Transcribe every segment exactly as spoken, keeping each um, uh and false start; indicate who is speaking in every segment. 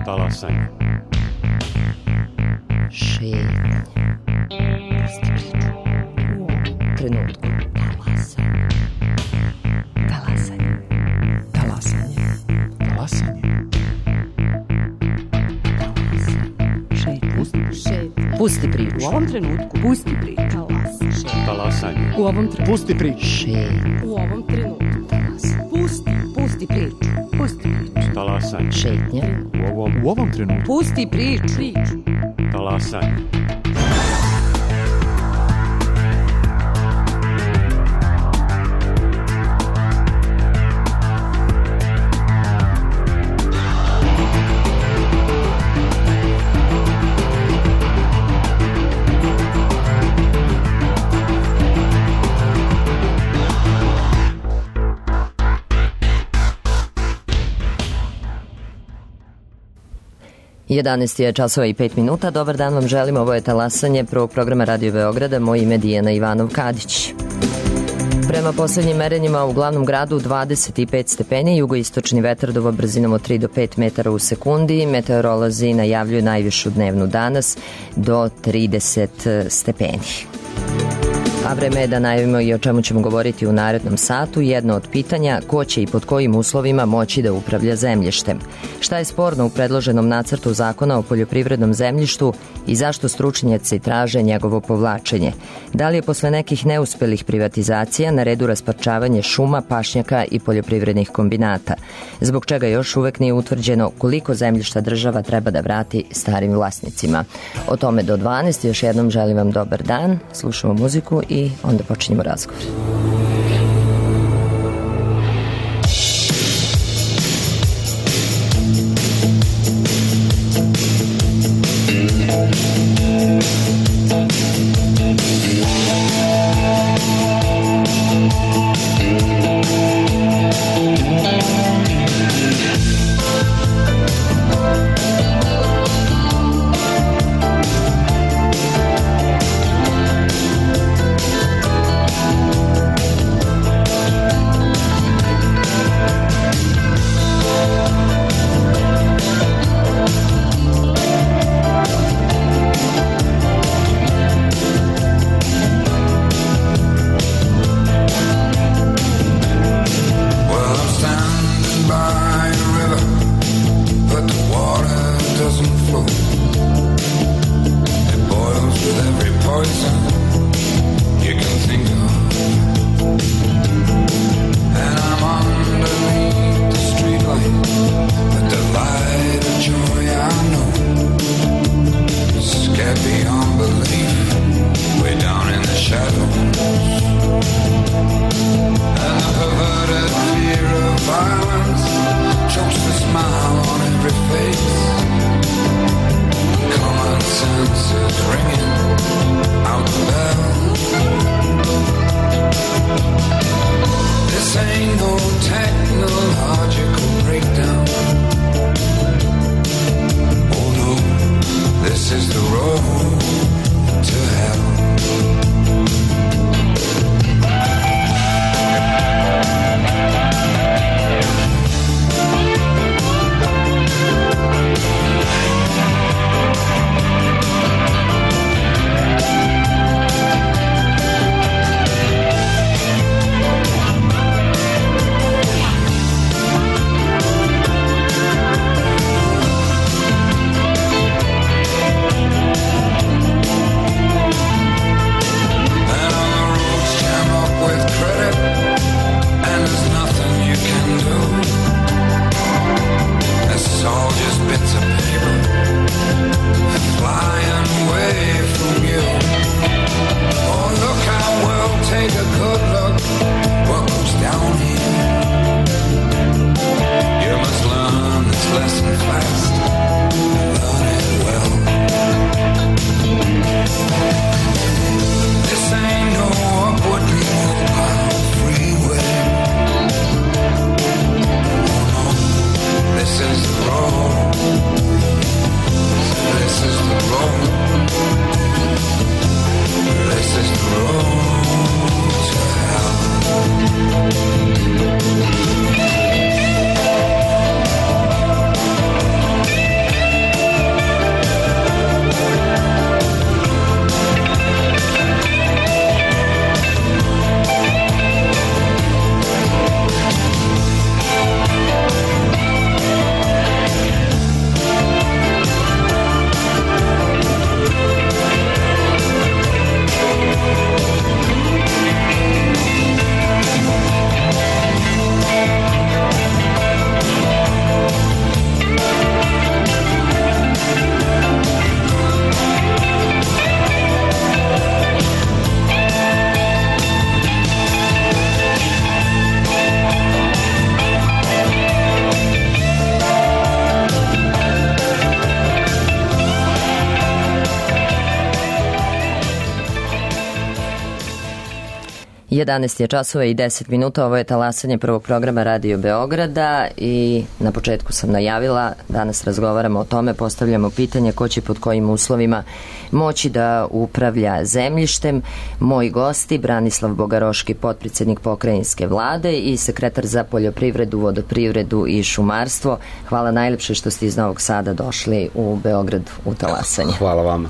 Speaker 1: Talasanje.
Speaker 2: Šetnje. Trenutku. Talasanje. Talasanje.
Speaker 3: Talasanje.
Speaker 2: Šetnje. Pusti priču.
Speaker 4: U ovom trenutku pusti priču.
Speaker 1: Talasanje.
Speaker 4: U ovom trenutku
Speaker 3: Pusti priču.
Speaker 2: Šetnje.
Speaker 4: U ovom trenutku pusti, pusti priču. Pusti priču.
Speaker 1: Talasanje.
Speaker 2: Šetnje.
Speaker 1: U ovom,
Speaker 3: U ovom trenutku.
Speaker 4: Pusti priču. Priču.
Speaker 1: talasanje.
Speaker 2: jedanaest je časova i pet minuta. Dobar dan vam želim. Ovo je talasanje prvog programa Radio Beograda. Moje ime je Dijana Ivanov-Kadić. Prema poslednjim merenjima u glavnom gradu dvadeset pet stepeni, jugoistočni vetar duva brzinom od tri do pet metara u sekundi. Meteorolozi najavljuju najvišu dnevnu danas do trideset stepeni. A vreme je da najavimo i o čemu ćemo govoriti u narednom satu. Jedno od pitanja, ko će i pod kojim uslovima moći da upravlja zemljištem. Šta je sporno u predloženom nacrtu zakona o poljoprivrednom zemljištu i zašto stručnjaci traže njegovo povlačenje? Da li je posle nekih neuspelih privatizacija na redu rasparčavanje šuma, pašnjaka i poljoprivrednih kombinata? Zbog čega još uvek nije utvrđeno koliko zemljišta država treba da vrati starim vlasnicima? O tome do dvanaest. Još jednom želim vam dobar dan. Slušamo muziku i onda počinjemo razgovor. jedanaest je časova i deset minuta, ovo je talasanje prvog programa Radio Beograda i na početku sam najavila, danas razgovaramo o tome, postavljamo pitanje ko će pod kojim uslovima moći da upravlja zemljištem. Moji gosti, Branislav Bogaroški, potpredsednik pokrajinske vlade i sekretar za poljoprivredu, vodoprivredu i šumarstvo. Hvala najlepše što ste iz Novog Sada došli u Beograd u talasanje.
Speaker 5: Hvala vama.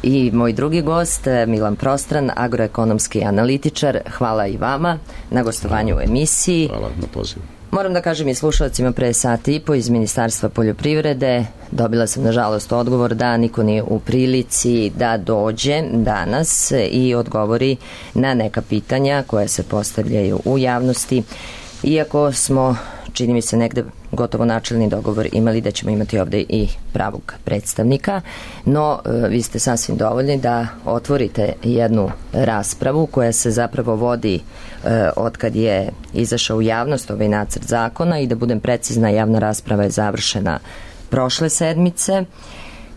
Speaker 2: I moj drugi gost, Milan Prostran, agroekonomski analitičar. Hvala i vama na gostovanju u emisiji.
Speaker 5: Hvala na pozivu.
Speaker 2: Moram da kažem i slušalcima, pre sati i po iz Ministarstva poljoprivrede dobila sam nažalost odgovor da niko nije u prilici da dođe danas i odgovori na neka pitanja koja se postavljaju u javnosti. Iako smo, čini mi se, negde gotovo načelni dogovor imali da ćemo imati ovde i pravog predstavnika, no vi ste sasvim dovoljni da otvorite jednu raspravu koja se zapravo vodi e, od kad je izašao u javnost ovaj nacrt zakona i da budem precizna, javna rasprava je završena prošle sedmice.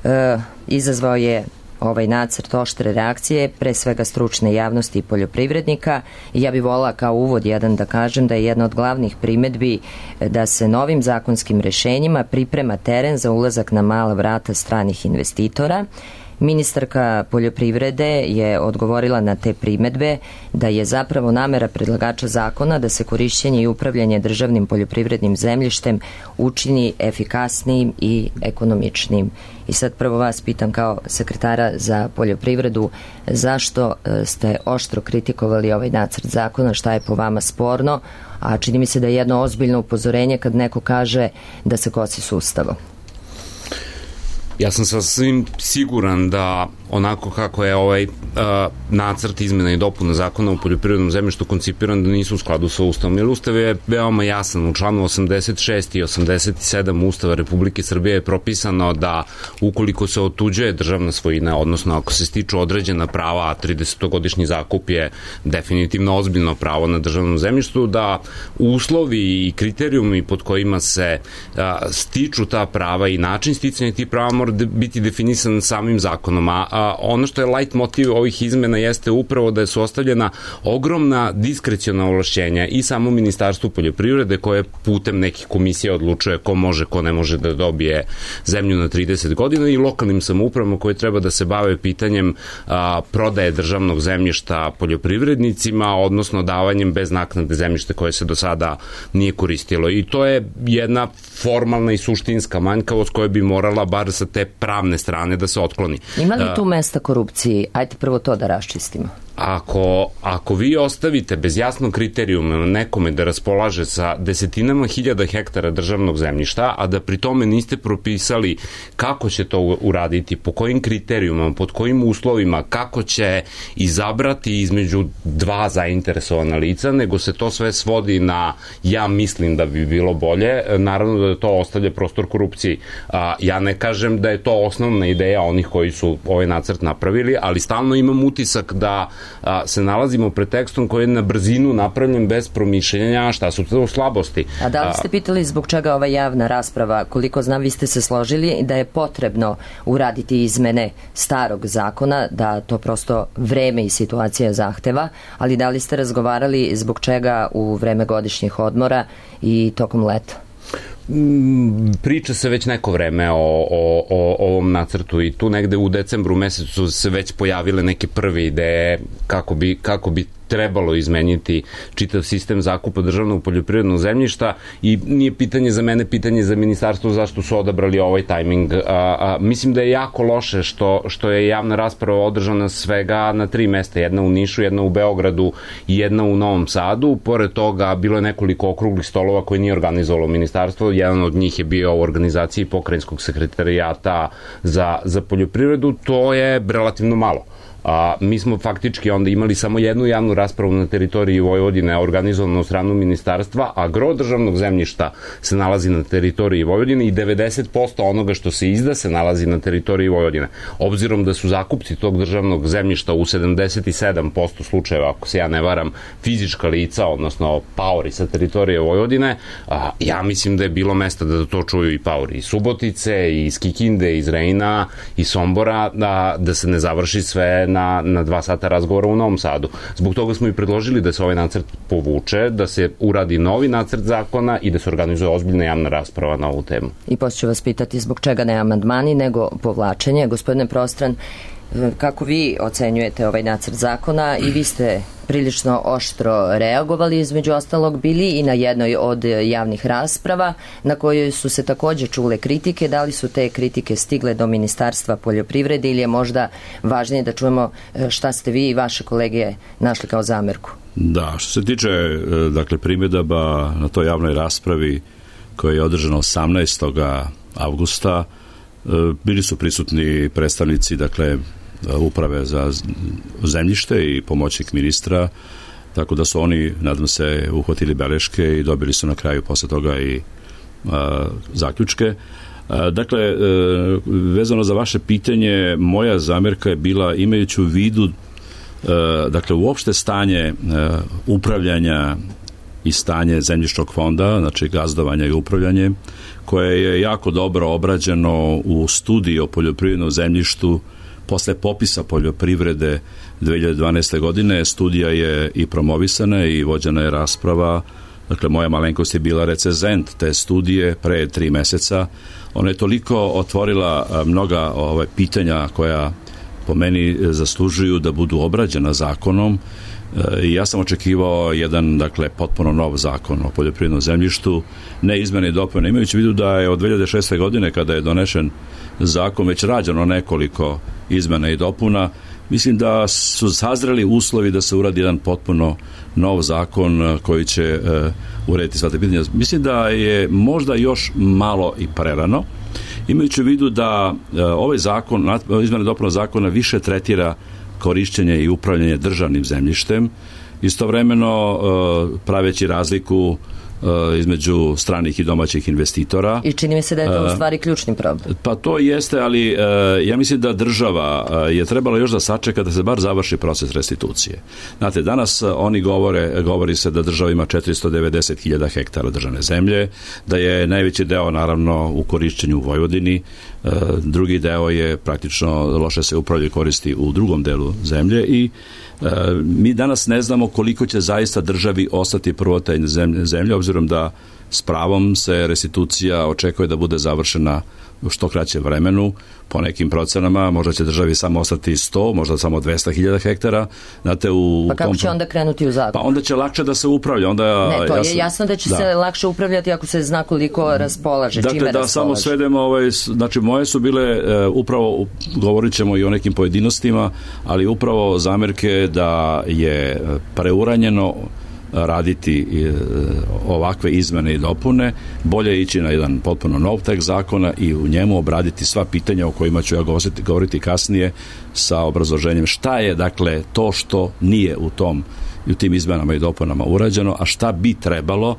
Speaker 2: E, izazvao je ovaj nacrt oštre reakcije, pre svega stručne javnosti i poljoprivrednika. I ja bih volila kao uvod jedan da kažem da je jedna od glavnih primedbi da se novim zakonskim rešenjima priprema teren za ulazak na mala vrata stranih investitora. Ministarka poljoprivrede je odgovorila na te primedbe da je zapravo namera predlagača zakona da se korišćenje i upravljanje državnim poljoprivrednim zemljištem učini efikasnijim i ekonomičnijim. I sad prvo vas pitam kao sekretara za poljoprivredu, zašto ste oštro kritikovali ovaj nacrt zakona, šta je po vama sporno, a čini mi se da je jedno ozbiljno upozorenje kad neko kaže da se kosi s Ustavom.
Speaker 5: Ja sam sasvim siguran da onako kako je ovaj uh, nacrt izmena i dopuna zakona o poljoprivrednom zemljištu koncipiran da nisu u skladu sa Ustavom. Jer Ustav je veoma jasan. U članu osamdeset šest i osamdeset sedam Ustava Republike Srbije je propisano da ukoliko se otuđuje državna svojina, odnosno ako se stiču određena prava, a tridesetogodišnji zakup je definitivno ozbiljno pravo na državnom zemljištu, da uslovi i kriterijumi pod kojima se uh, stiču ta prava i način sticanja tih prava mora biti definisan samim zakonom, a, a ono što je light motiv ovih izmena jeste upravo da su ostavljena ogromna diskreciona ovlašćenja i samo Ministarstvu poljoprivrede koje putem nekih komisija odlučuje ko može, ko ne može da dobije zemlju na trideset godina i lokalnim samoupravama koje treba da se bave pitanjem a, prodaje državnog zemljišta poljoprivrednicima, odnosno davanjem bez naknade zemljište koje se do sada nije koristilo. I to je jedna formalna i suštinska manjkavost koja bi morala bar sa te pravne strane da se otkloni.
Speaker 2: Ima li tu mesta korupciji? Ajde prvo to da raščistimo.
Speaker 5: Ako, ako vi ostavite bez jasnog kriterijuma nekome da raspolaže sa desetinama hiljada hektara državnog zemljišta, a da pri tome niste propisali kako će to uraditi, po kojim kriterijumama, pod kojim uslovima, kako će izabrati između dva zainteresovana lica, nego se to sve svodi na ja mislim da bi bilo bolje, naravno da to ostavlja prostor korupciji. A, ja ne kažem da je to osnovna ideja onih koji su ovaj nacrt napravili, ali stalno imam utisak da a, se nalazimo pred tekstom koji je na brzinu napravljen bez promišljenja šta su to slabosti.
Speaker 2: A da li ste pitali zbog čega ova javna rasprava? Koliko znam, vi ste se složili da je potrebno uraditi izmene starog zakona, da to prosto vreme i situacija zahteva, ali da li ste razgovarali zbog čega u vreme godišnjih odmora i tokom leta?
Speaker 5: Priča se već neko vreme o, o, o ovom nacrtu i tu negde u decembru mesecu se već pojavile neke prve ideje kako bi, kako bi trebalo izmeniti čitav sistem zakupa državnog poljoprivrednog zemljišta i nije pitanje za mene, pitanje za ministarstvo zašto su odabrali ovaj tajming. A, a, mislim da je jako loše što, što je javna rasprava održana svega na tri mesta, jedna u Nišu, jedna u Beogradu i jedna u Novom Sadu. Pored toga bilo je nekoliko okruglih stolova koje nije organizovalo ministarstvo, jedan od njih je bio u organizaciji pokrajinskog sekretarijata za, za poljoprivredu, to je relativno malo. A, mi smo faktički onda imali samo jednu javnu raspravu na teritoriji Vojvodine organizovanu od stranu ministarstva, a gro državnog zemljišta se nalazi na teritoriji Vojvodine i devedeset posto onoga što se izda se nalazi na teritoriji Vojvodine. Obzirom da su zakupci tog državnog zemljišta u sedamdeset sedam posto slučajeva, ako se ja ne varam, fizička lica, odnosno paori sa teritorije Vojvodine, a, ja mislim da je bilo mesta da to čuju i paori iz Subotice, iz Kikinde, iz Rejna, iz Sombora, da, da se ne završi sve na na, na dva sata razgovora u Novom Sadu. Zbog toga smo i predložili da se ovaj nacrt povuče, da se uradi novi nacrt zakona i da se organizuje ozbiljna javna rasprava na ovu temu.
Speaker 2: I poslije ću vas pitati zbog čega ne amandmani, nego povlačenje. Gospodine Prostran, kako vi ocenjujete ovaj nacrt zakona? I vi ste prilično oštro reagovali, između ostalog bili i na jednoj od javnih rasprava na kojoj su se također čule kritike. Da li su te kritike stigle do Ministarstva poljoprivrede ili je možda važnije da čujemo šta ste vi i vaše kolege našli kao zamerku?
Speaker 6: Da, što se tiče dakle primjedaba na toj javnoj raspravi koja je održana osamnaestog avgusta, bili su prisutni predstavnici dakle uprave za zemljište i pomoćnik ministra, tako da su oni, nadam se, uhvatili beleške i dobili su na kraju posle toga i a, zaključke. A, dakle, e, vezano za vaše pitanje, moja zamerka je bila, imajući u vidu e, dakle, uopšte stanje e, upravljanja i stanje zemljišnog fonda, znači gazdovanja i upravljanje, koje je jako dobro obrađeno u studiji o poljoprivrednom zemljištu posle popisa poljoprivrede dve hiljade dvanaeste. godine. Studija je i promovisana i vođena je rasprava. Dakle, moja malenkost je bila recenzent te studije pre tri meseca. Ona je toliko otvorila mnoga ove, pitanja koja po meni zaslužuju da budu obrađena zakonom. I ja sam očekivao jedan, dakle, potpuno nov zakon o poljoprivrednom zemljištu, ne izmene i dopune, imajući u vidu da je od dve hiljade šeste. godine, kada je donešen zakon, već rađeno nekoliko izmena i dopuna. Mislim da su sazreli uslovi da se uradi jedan potpuno nov zakon koji će uh, urediti sva te pitanja. Mislim da je možda još malo i prerano, imajući u vidu da uh, ovaj zakon, izmene i dopuna zakona više tretira korišćenje i upravljanje državnim zemljištem, istovremeno uh, praveći razliku između stranih i domaćih investitora.
Speaker 2: I čini mi se da je to u stvari ključni problem.
Speaker 6: Pa to jeste, ali ja mislim da država je trebala još da sačeka da se bar završi proces restitucije. Znate, danas oni govore, govori se da država ima četiristo devedeset hiljada hektara državne zemlje, da je najveći deo naravno u korišćenju u Vojvodini, drugi deo je praktično loše se upravlja i koristi u drugom delu zemlje i mi danas ne znamo koliko će zaista državi ostati prvotajne zemlje, zemlje, obzirom da s pravom se restitucija očekuje da bude završena u što kraćem vremenu, po nekim procenama, možda će državi samo ostati sto, možda samo dvesta hiljada hektara. Znate, u
Speaker 2: pa kako
Speaker 6: tom...
Speaker 2: će onda krenuti u zakon?
Speaker 6: Pa onda će lakše da se upravlja. Onda,
Speaker 2: ne, to
Speaker 6: ja
Speaker 2: je
Speaker 6: sam...
Speaker 2: jasno da će
Speaker 6: da.
Speaker 2: se lakše upravljati ako se zna koliko raspolaže,
Speaker 6: dakle,
Speaker 2: čime
Speaker 6: da
Speaker 2: raspolaže.
Speaker 6: Samo svedemo, ovaj, znači moje su bile, uh, upravo govorit ćemo i o nekim pojedinostima, ali upravo zamerke da je preuranjeno raditi ovakve izmene i dopune, bolje ići na jedan potpuno nov tekst zakona i u njemu obraditi sva pitanja o kojima ću ja govoriti, govoriti kasnije sa obrazloženjem šta je dakle to što nije u tom i u tim izmenama i dopunama urađeno, a šta bi trebalo uh,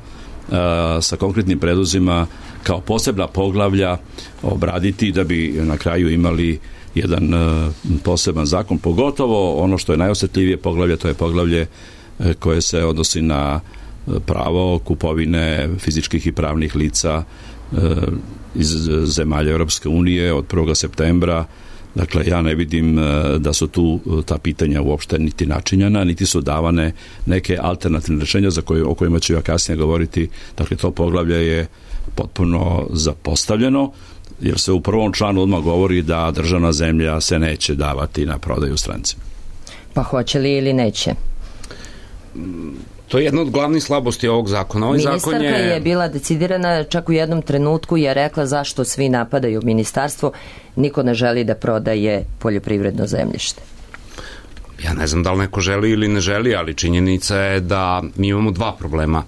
Speaker 6: sa konkretnim predlozima kao posebna poglavlja obraditi da bi na kraju imali jedan uh, poseban zakon, pogotovo ono što je najosetljivije poglavlje, to je poglavlje koje se odnosi na pravo kupovine fizičkih i pravnih lica iz zemalja Europske unije od prvog septembra. Dakle, ja ne vidim da su tu ta pitanja uopšte niti načinjena, niti su davane neke alternativne rešenja za koje, o kojima ću ja kasnije govoriti. Dakle, to poglavlje je potpuno zapostavljeno, jer se u prvom članu odmah govori da državna zemlja se neće davati na prodaju strancima.
Speaker 2: Pa hoće li ili neće?
Speaker 5: To je jedna od glavnih slabosti ovog zakona. Ovaj
Speaker 2: Ministarka
Speaker 5: zakon je...
Speaker 2: je bila decidirana čak u jednom trenutku i je rekla zašto svi napadaju ministarstvo, niko ne želi da prodaje poljoprivredno zemljište.
Speaker 5: Ja ne znam da li neko želi ili ne želi, ali činjenica je da mi imamo dva problema.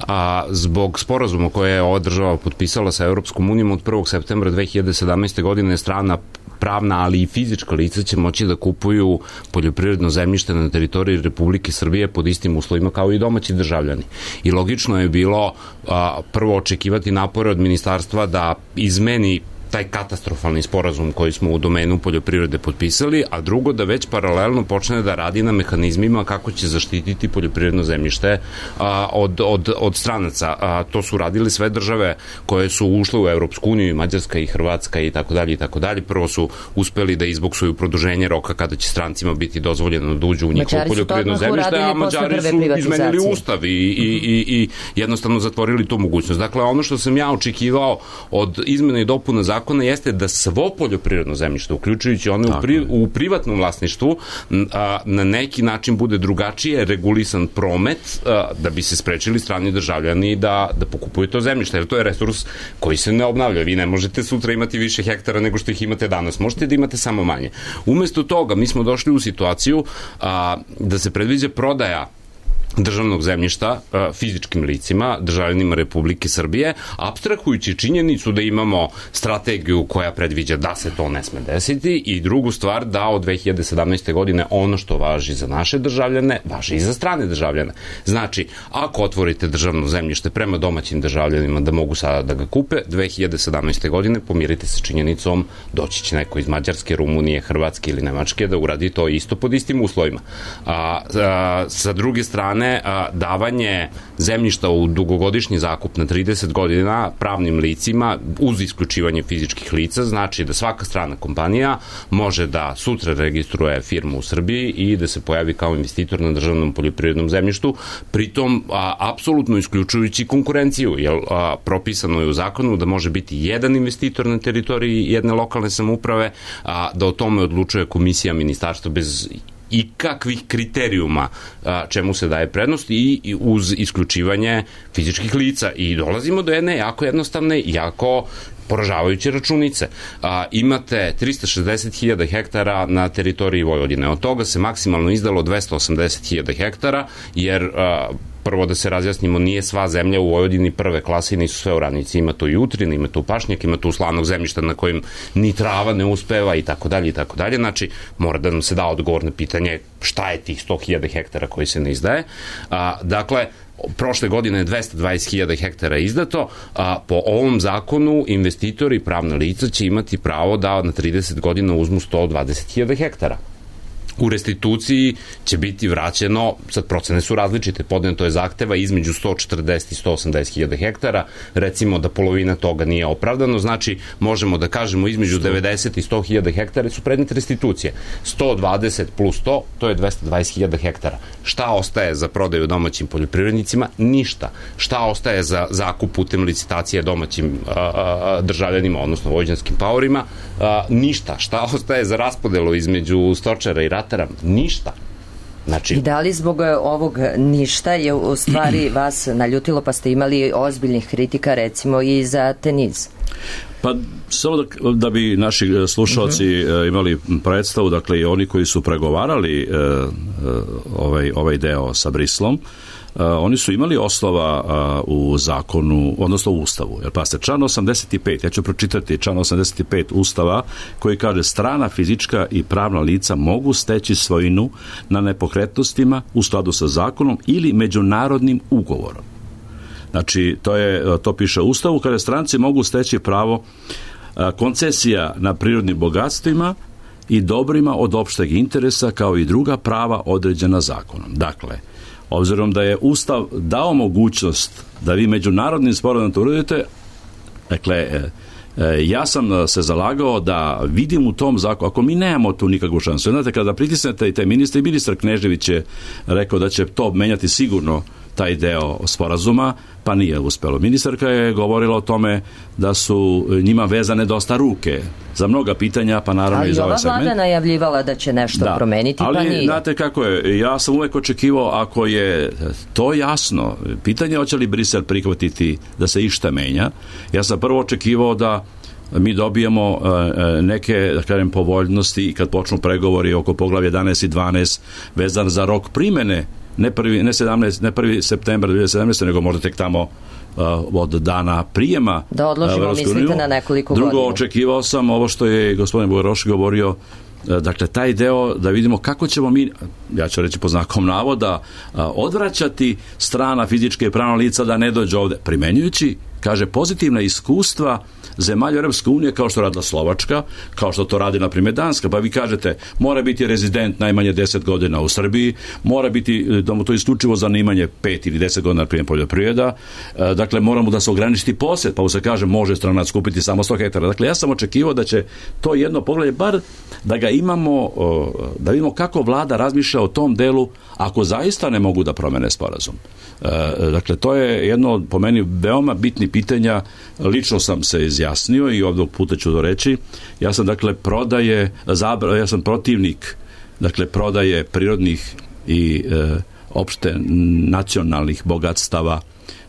Speaker 5: A, zbog sporazuma koje je ova država potpisala sa Europskom unijom od prvog septembra dve hiljade sedamnaeste. godine strana pravna, ali i fizička lica će moći da kupuju poljoprivredno zemljište na teritoriji Republike Srbije pod istim uslovima kao i domaći državljani. I logično je bilo a, prvo očekivati napore od ministarstva da izmeni taj katastrofalni sporazum koji smo u domenu poljoprivrede potpisali, a drugo da već paralelno počne da radi na mehanizmima kako će zaštititi poljoprivredno zemljište a, od, od, od stranaca. A, to su radili sve države koje su ušle u Evropsku uniju, i Mađarska i Hrvatska i tako dalje i tako dalje. Prvo su uspeli da izboksuju produženje roka kada će strancima biti dozvoljeno da uđu u njihovo poljoprivredno zemljište, a Mađari su izmenili ustav i, i, i, i jednostavno zatvorili tu mogućnost. Dakle, ono što sam ja očekivao od izmena i dopuna zakona jeste da svo poljoprivredno zemljište, uključujući one u, pri, u privatnom vlasništvu, a, na neki način bude drugačije regulisan promet, a, da bi se sprečili strani državljani da, da pokupuju to zemljište, jer to je resurs koji se ne obnavlja. Vi ne možete sutra imati više hektara nego što ih imate danas. Možete da imate samo manje. Umesto toga, mi smo došli u situaciju a, da se predviđa prodaja državnog zemljišta fizičkim licima, državljanima Republike Srbije, apstrahujući činjenicu da imamo strategiju koja predviđa da se to ne sme desiti, i drugu stvar da od dve hiljade sedamnaeste. godine ono što važi za naše državljane, važi i za strane državljane. Znači, ako otvorite državno zemljište prema domaćim državljanima da mogu sada da ga kupe, dve hiljade sedamnaeste. godine pomirite se činjenicom, doći će neko iz Mađarske, Rumunije, Hrvatske ili Nemačke da uradi to isto pod istim uslovima. A, a, sa druge strane, A, davanje zemljišta u dugogodišnji zakup na trideset godina pravnim licima uz isključivanje fizičkih lica znači da svaka strana kompanija može da sutra registruje firmu u Srbiji i da se pojavi kao investitor na državnom poljoprivrednom zemljištu, pritom a, apsolutno isključujući konkurenciju, jer a, propisano je u zakonu da može biti jedan investitor na teritoriji jedne lokalne samouprave, a, da o tome odlučuje komisija ministarstva bez i kakvih kriterijuma a, čemu se daje prednost i, i uz isključivanje fizičkih lica. I dolazimo do jedne jako jednostavne, jako poražavajuće računice. A, imate trista šezdeset hiljada hektara na teritoriji Vojvodine. Od toga se maksimalno izdalo dvesta osamdeset hiljada hektara, jer a, prvo da se razjasnimo, nije sva zemlja u Vojvodini prve klase i nisu sve oranici. Ima tu i utrin, ima tu pašnjak, ima tu slanog zemljišta na kojim ni trava ne uspeva i tako dalje i tako dalje. Znači, mora da nam se da odgovor na pitanje šta je tih sto hiljada hektara koji se ne izdaje. A, dakle, prošle godine je dvesta dvadeset hiljada hektara izdato, a po ovom zakonu investitori i pravna lica će imati pravo da na trideset godina uzmu sto dvadeset hiljada hektara. U restituciji će biti vraćeno, sad procene su različite, podneto je zahteva između sto četrdeset i sto osamdeset hiljada hektara, recimo da polovina toga nije opravdano, znači možemo da kažemo između devedeset i sto hiljada hektara su predmet restitucije. sto dvadeset plus sto, to je dvesta dvadeset hiljada hektara. Šta ostaje za prodaju domaćim poljoprivrednicima? Ništa. Šta ostaje za zakup putem licitacije domaćim a, a, državljanima, odnosno vojvođanskim paorima? A, ništa. Šta ostaje za raspodelu između stočara i ratara? Ništa. Znači... I
Speaker 2: da li zbog ovog ništa je u stvari vas naljutilo, pa ste imali ozbiljnih kritika recimo i za Tenis?
Speaker 6: Pa samo da, da bi naši slušalci uh-huh. imali predstavu, dakle i oni koji su pregovarali uh, ovaj, ovaj deo sa Brislom, Uh, oni su imali osnova uh, u zakonu, odnosno u Ustavu. Jer pa ste, član osamdeset i pet, ja ću pročitati član osamdeset i pet Ustava koji kaže: strana fizička i pravna lica mogu steći svojinu na nepokretnostima u skladu sa zakonom ili međunarodnim ugovorom. Znači, to, je, to piše u Ustavu, kada stranci mogu steći pravo uh, koncesija na prirodnim bogatstvima i dobrima od opšteg interesa, kao i druga prava određena zakonom. Dakle, obzirom da je Ustav dao mogućnost da vi međunarodnim sporazumom to uradite, dakle, ja sam se zalagao da vidim u tom zakonu, ako mi nemamo tu nikakvu šansu. Znate, kada pritisnete i taj ministar, i ministar Knežević je rekao da će to menjati sigurno taj deo sporazuma, pa nije uspelo. Ministarka je govorila o tome da su njima vezane dosta ruke za mnoga pitanja, pa naravno i za ovaj segment.
Speaker 2: Ali ova vlada najavljivala da će nešto da promeniti,
Speaker 6: ali,
Speaker 2: pa nije.
Speaker 6: Ali, znate kako je, ja sam uvek očekivao, ako je to jasno, pitanje hoće li Brisel prihvatiti da se išta menja. Ja sam prvo očekivao da mi dobijemo uh, neke, da kažem, povoljnosti i kad počnu pregovori oko poglavlja jedanaest i dvanaest vezan za rok primene, ne prvi, ne sedamnaesti, ne prvi septembar dve hiljade sedamnaeste, nego možda tek tamo uh, od dana prijema.
Speaker 2: Da odložimo, mislite, na nekoliko
Speaker 6: Drugo,
Speaker 2: godina.
Speaker 6: Drugo, očekivao sam ovo što je gospodin Bogoroš govorio, uh, dakle, taj deo da vidimo kako ćemo mi, ja ću reći po znakom navoda, odvraćati strana fizičke i pravna lica da ne dođe ovde, primenjujući, kaže, pozitivna iskustva zemalja Europske unije, kao što radila Slovačka, kao što to radi, na primjer, Danska. Pa vi kažete, mora biti rezident najmanje deset godina u Srbiji, mora biti, da mu to isključivo zanimanje pet ili deset godina, na primjer, poljoprivreda, dakle, moramo da se ograničiti posjed, pa mu se kaže, može stranac kupiti samo sto hektara. Dakle, ja sam očekivao da će to jedno pogledje, bar da ga imamo, da vidimo kako vlada razmišlja o tom delu, ako zaista ne mogu da promene sporazum. Dakle, to je jedno, po meni, veoma bitni pitanja. Lično sam se izjasnio i ovdje puta ću to reći. Ja sam, dakle, prodaje, zabra, ja sam protivnik, dakle, prodaje prirodnih i e, opšte nacionalnih bogatstava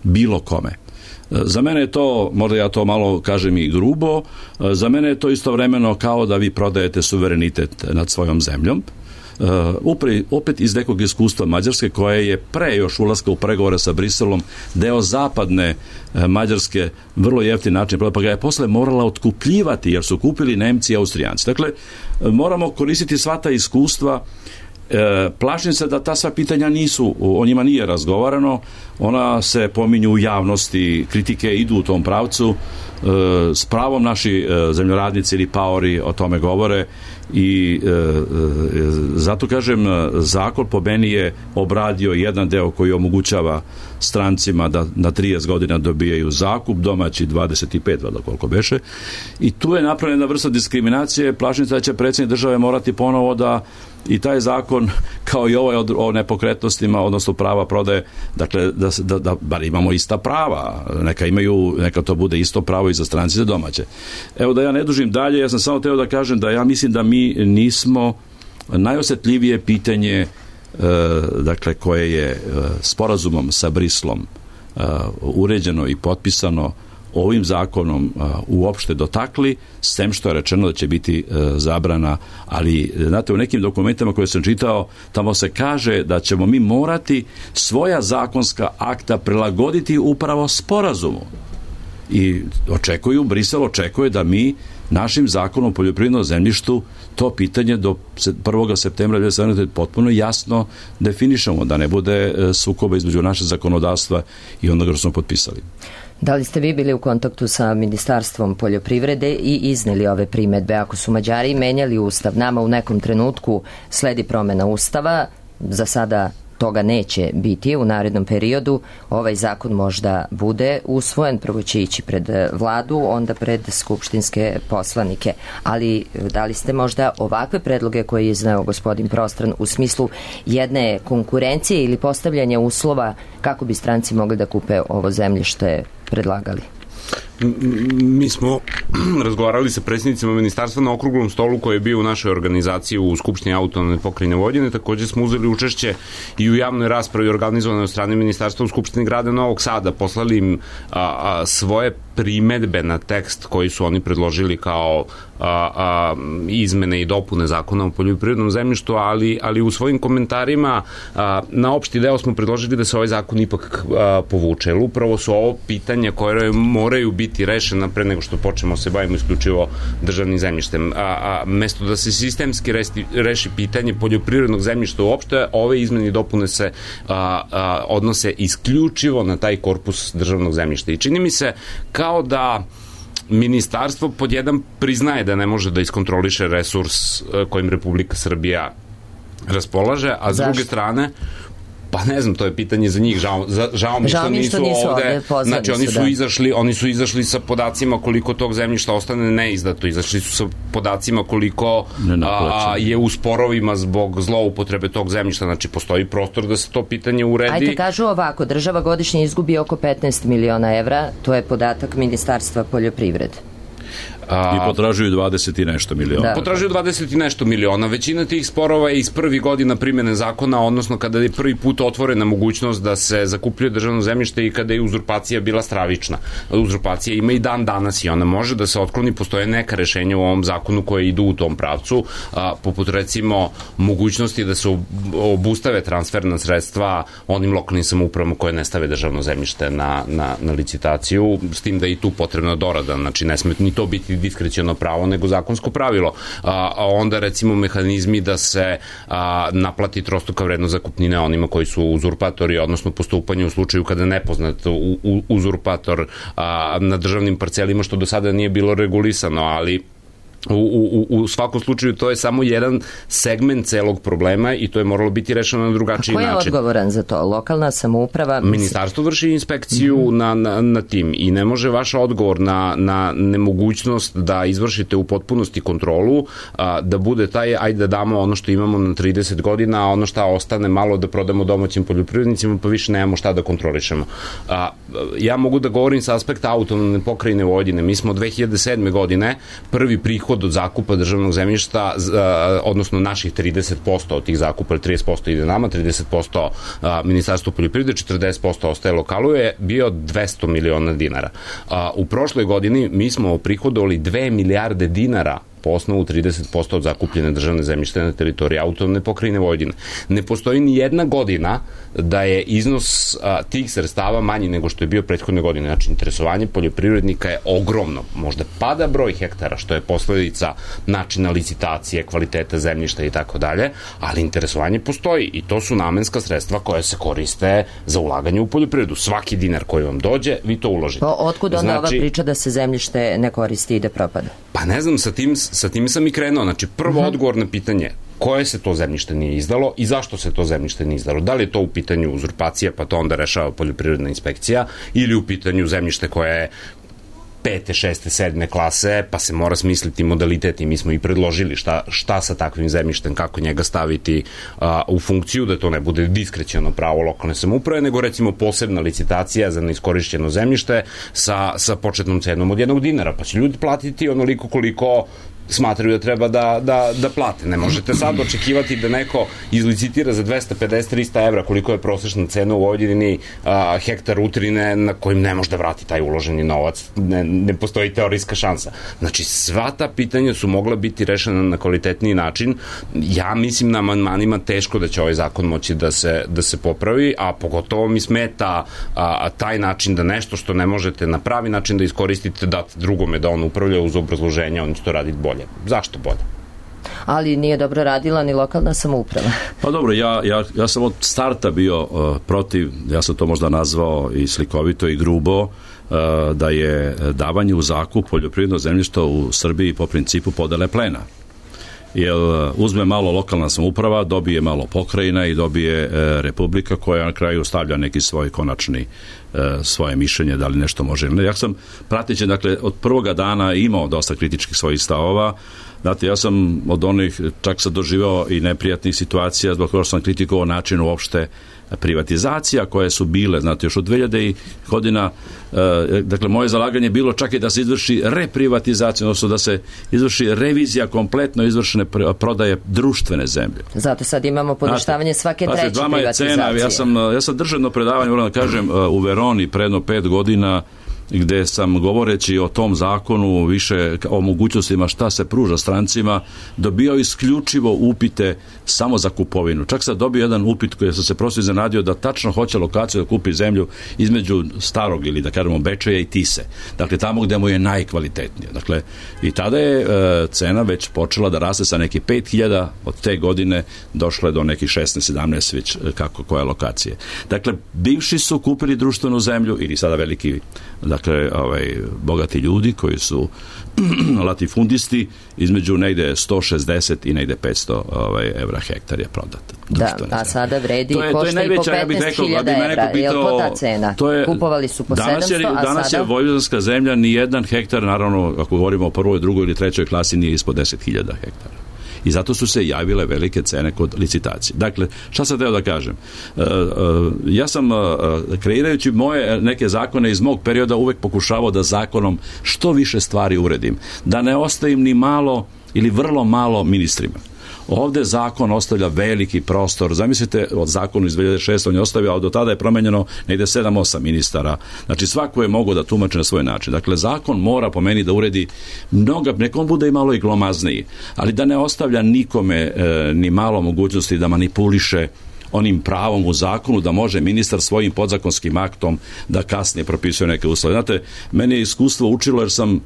Speaker 6: bilo kome. Za mene je to, možda ja to malo kažem i grubo, za mene je to istovremeno kao da vi prodajete suverenitet nad svojom zemljom. Uh, upre, opet iz nekog iskustva Mađarske, koje je pre još ulaska u pregovore sa Briselom deo zapadne uh, Mađarske vrlo jeftin način, pa ga je posle morala otkupljivati jer su kupili Nemci i Austrijanci. Dakle, uh, moramo koristiti sva ta iskustva. E, plašim se da ta sva pitanja nisu, o njima nije razgovarano, ona se pominju u javnosti, kritike idu u tom pravcu, e, s pravom naši e, zemljoradnici ili paori o tome govore i e, e, zato kažem, zakon po meni je obradio jedan deo koji omogućava strancima da na trideset godina dobijaju zakup, domaći dvadeset pet, valjda koliko beše, i tu je napravljena vrsta diskriminacije. Plašim se da će predsjednik države morati ponovo da i taj zakon, kao i ovaj o nepokretnostima, odnosno prava prodaje, dakle, da, da, da bar imamo ista prava, neka imaju, neka to bude isto pravo i za stranci i za domaće. Evo, da ja ne dužim dalje, ja sam samo teo da kažem da ja mislim da mi nismo, najosjetljivije pitanje, e, dakle, koje je e, sporazumom sa Brislom e, uređeno i potpisano ovim zakonom uh, uopšte dotakli, s tem što je rečeno da će biti uh, zabrana, ali znate, u nekim dokumentima koje sam čitao, tamo se kaže da ćemo mi morati svoja zakonska akta prilagoditi upravo sporazumu. I očekuju, Brisel očekuje da mi našim zakonom o poljoprivrednom zemljištu to pitanje do prvog septembra dve hiljade sedamnaeste. potpuno jasno definišemo, da ne bude sukoba između naše zakonodavstva i onoga što smo potpisali.
Speaker 2: Da li ste vi bili u kontaktu sa Ministarstvom poljoprivrede i izneli ove primedbe? Ako su Mađari menjali ustav, nama u nekom trenutku sledi promena ustava, za sada toga neće biti u narednom periodu, ovaj zakon možda bude usvojen, prvo će ići pred vladu, onda pred skupštinske poslanike. Ali da li ste možda ovakve predloge koje je izneo gospodin Prostran u smislu jedne konkurencije ili postavljanja uslova kako bi stranci mogli da kupe ovo zemljište predlagali?
Speaker 5: Mi smo razgovarali sa predsjednicima ministarstva na okruglom stolu koji je bio u našoj organizaciji u Skupštini autonomne pokrajine Vojvodine. Takođe smo uzeli učešće i u javnoj raspravi organizovanoj od strane ministarstva u Skupštini grada Novog Sada. Poslali im a, a, svoje primedbe na tekst koji su oni predložili kao a, a, izmene i dopune zakona o poljoprivrednom zemljištu, ali, ali u svojim komentarima a, na opšti deo smo predložili da se ovaj zakon ipak a, povuče. Upravo su ovo pitanja koje moraju biti rešena pre nego što počnemo se bavimo isključivo državnim zemljištem. A, a mesto da se sistemski resti, reši pitanje poljoprivrednog zemljišta uopšte, ove izmene i dopune se a, a, odnose isključivo na taj korpus državnog zemljišta. I čini mi se kao da ministarstvo pod jedan priznaje da ne može da iskontroliše resurs kojim Republika Srbija raspolaže, a s Zašto? druge strane pa ne znam, to je pitanje za njih, žao, za, žao mi
Speaker 2: žao
Speaker 5: što,
Speaker 2: mi što
Speaker 5: nisu,
Speaker 2: nisu
Speaker 5: ovde,
Speaker 2: ovde
Speaker 5: znači oni
Speaker 2: su,
Speaker 5: su
Speaker 2: da.
Speaker 5: izašli, oni su izašli sa podacima koliko tog zemljišta ostane neizdato, izašli su sa podacima koliko a, je u sporovima zbog zloupotrebe tog zemljišta, znači postoji prostor da se to pitanje uredi.
Speaker 2: Ajde, kažu ovako, država godišnje izgubi oko petnaest miliona evra, to je podatak Ministarstva poljoprivrede.
Speaker 6: I potražuju dvadeset i nešto miliona.
Speaker 2: Da.
Speaker 5: Potražuju dvadeset i nešto miliona. Većina tih sporova je iz prvih godina primjene zakona, odnosno kada je prvi put otvorena mogućnost da se zakupljuje državno zemljište i kada je uzurpacija bila stravična. Uzurpacija ima i dan danas i ona može da se otkloni. Postoje neka rešenja u ovom zakonu koje idu u tom pravcu, a, poput recimo mogućnosti da se obustave transferna sredstva onim lokalnim samoupravama koje ne stave državno zemljište na, na, na licitaciju, s tim da je i tu potrebna dorada, znači ne sme ni to to biti diskreciono pravo nego zakonsko pravilo. A, a onda recimo mehanizmi da se a, naplati trostruka vrednost zakupnine onima koji su uzurpatori, odnosno postupanje u slučaju kada nepoznat u, u, uzurpator a, na državnim parcelima, što do sada nije bilo regulisano, ali U, u, u svakom slučaju to je samo jedan segment celog problema i to je moralo biti rešeno na drugačiji način.
Speaker 2: A ko je odgovoran za to? Lokalna samouprava?
Speaker 5: Ministarstvo vrši inspekciju mm-hmm. na, na, na tim i ne može vaš odgovor na, na nemogućnost da izvršite u potpunosti kontrolu a, da bude taj, ajde da damo ono što imamo na trideset godina, a ono šta ostane malo da prodamo domaćim poljoprivrednicima, pa više nemamo šta da kontrolišemo. A, ja mogu da govorim sa aspekta autonomne pokrajine Vojvodine. Mi smo dve hiljade sedme godine prvi prihod od zakupa državnog zemljišta, odnosno naših trideset posto od tih zakupa, trideset posto ide nama, trideset posto Ministarstvo poljoprivrede, četrdeset posto ostaje lokalu, je bio dvesta miliona dinara. U prošloj godini mi smo prihodovali dve milijarde dinara po osnovu trideset posto od zakupljene državne zemljište na teritoriji autonomne pokrajine Vojvodine. Ne postoji ni jedna godina da je iznos a, tih sredstava manji nego što je bio prethodne godine. Znači, interesovanje poljoprivrednika je ogromno. Možda pada broj hektara, što je posledica načina licitacije, kvaliteta zemljišta i tako dalje, ali interesovanje postoji i to su namenska sredstva koja se koriste za ulaganje u poljoprivredu. Svaki dinar koji vam dođe, vi to uložite.
Speaker 2: Pa otkud onda znači, ova priča da se zemljište ne koristi i da propada?
Speaker 5: Pa ne znam, sa tim sa tim sam i krenuo. Znači, prvo uh-huh. odgovor na pitanje koje se to zemljište nije izdalo i zašto se to zemljište nije izdalo. Da li je to u pitanju uzurpacija, pa to onda rešava poljoprivredna inspekcija, ili u pitanju zemljište koje je pete, šeste, sedme klase, pa se mora smisliti modalitet i mi smo i predložili šta, šta sa takvim zemljištem, kako njega staviti a, u funkciju, da to ne bude diskreciono pravo lokalne samouprave, nego recimo posebna licitacija za neiskorišćeno zemljište sa, sa početnom cenom od jednog dinara, pa će ljudi platiti onoliko koliko smatraju da treba da, da, da plate. Ne možete sad očekivati da neko izlicitira za dvesta pedeset do trista evra koliko je prosečna cena u Vojvodini a, hektar utrine na kojim ne može da vrati taj uloženi novac. Ne, ne postoji teorijska šansa. Znači, sva ta pitanja su mogla biti rešena na kvalitetniji način. Ja mislim na amandmanima teško da će ovaj zakon moći da se, da se popravi, a pogotovo mi smeta a, a, taj način da nešto što ne možete na pravi način da iskoristite, date drugome da on upravlja uz obrazloženje, on će to raditi bolje. Zašto bolje?
Speaker 2: Ali nije dobro radila ni lokalna samouprava.
Speaker 6: Pa dobro, ja, ja, ja sam od starta bio uh, protiv, ja sam to možda nazvao i slikovito i grubo, uh, da je davanje u zakup poljoprivredno zemljište u Srbiji po principu podele plena. Jer uzme malo lokalna samouprava, dobije malo pokrajina i dobije e, republika koja na kraju stavlja neki svoj konačni e, svoje mišljenje da li nešto može. Ja sam prateći, dakle, od prvoga dana imao dosta kritičkih svojih stavova. Znate, ja sam od onih čak sam doživao i neprijatnih situacija zbog toga što sam kritikovao način uopšte privatizacija koje su bile, znate, još od dve hiljade godina, e, dakle, moje zalaganje je bilo čak i da se izvrši reprivatizacija, odnosno da se izvrši revizija kompletno izvršene prodaje društvene zemlje.
Speaker 2: Zato sad imamo poništavanje svake treće
Speaker 6: pazite,
Speaker 2: privatizacije.
Speaker 6: Cena, ja sam, ja sam državno predavanje, moram da kažem, u Veroni predno pet godina, gde sam govoreći o tom zakonu više o mogućnostima šta se pruža strancima, dobio isključivo upite samo za kupovinu. Čak sam dobio jedan upit koji sam se prosto iznenadio da tačno hoće lokaciju da kupi zemlju između starog ili da kažemo Bečeja i Tise. Dakle, tamo gde mu je najkvalitetnije. Dakle, i tada je e, cena već počela da raste sa nekih pet hiljada, od te godine došla je do nekih šesnaest sedamnaest već kako koja lokacije. Dakle, bivši su kupili društvenu zemlju ili sada veliki, dakle, ovaj, bogati ljudi koji su latifundisti, između negde sto šezdeset i negde petsto ovaj, evra hektar je prodat.
Speaker 2: Da, a sada vredi i košta i po petnaest hiljada evra. Je li to ta cena? To je, kupovali su po sedamsto,
Speaker 6: je,
Speaker 2: a
Speaker 6: danas
Speaker 2: sada?
Speaker 6: je vojvođanska zemlja, ni jedan hektar, naravno, ako govorimo o prvoj, drugoj ili trećoj klasi, nije ispod deset hiljada hektara. I zato su se javile velike cene kod licitacije. Dakle, šta sam teo da kažem? E, e, ja sam, e, kreirajući moje neke zakone iz mog perioda, uvek pokušavao da zakonom što više stvari uredim. Da ne ostavim ni malo ili vrlo malo ministrima. Ovde zakon ostavlja veliki prostor. Zamislite, od zakonu iz dve hiljade šeste on je ostavio, a do tada je promenjeno negde sedam osam ministara. Znači, svako je mogao da tumači na svoj način. Dakle, zakon mora po meni da uredi mnoga, nekom bude i malo i glomazniji, ali da ne ostavlja nikome e, ni malo mogućnosti da manipuliše onim pravom u zakonu da može ministar svojim podzakonskim aktom da kasnije propisuje neke uslove. Znate, meni je iskustvo učilo jer sam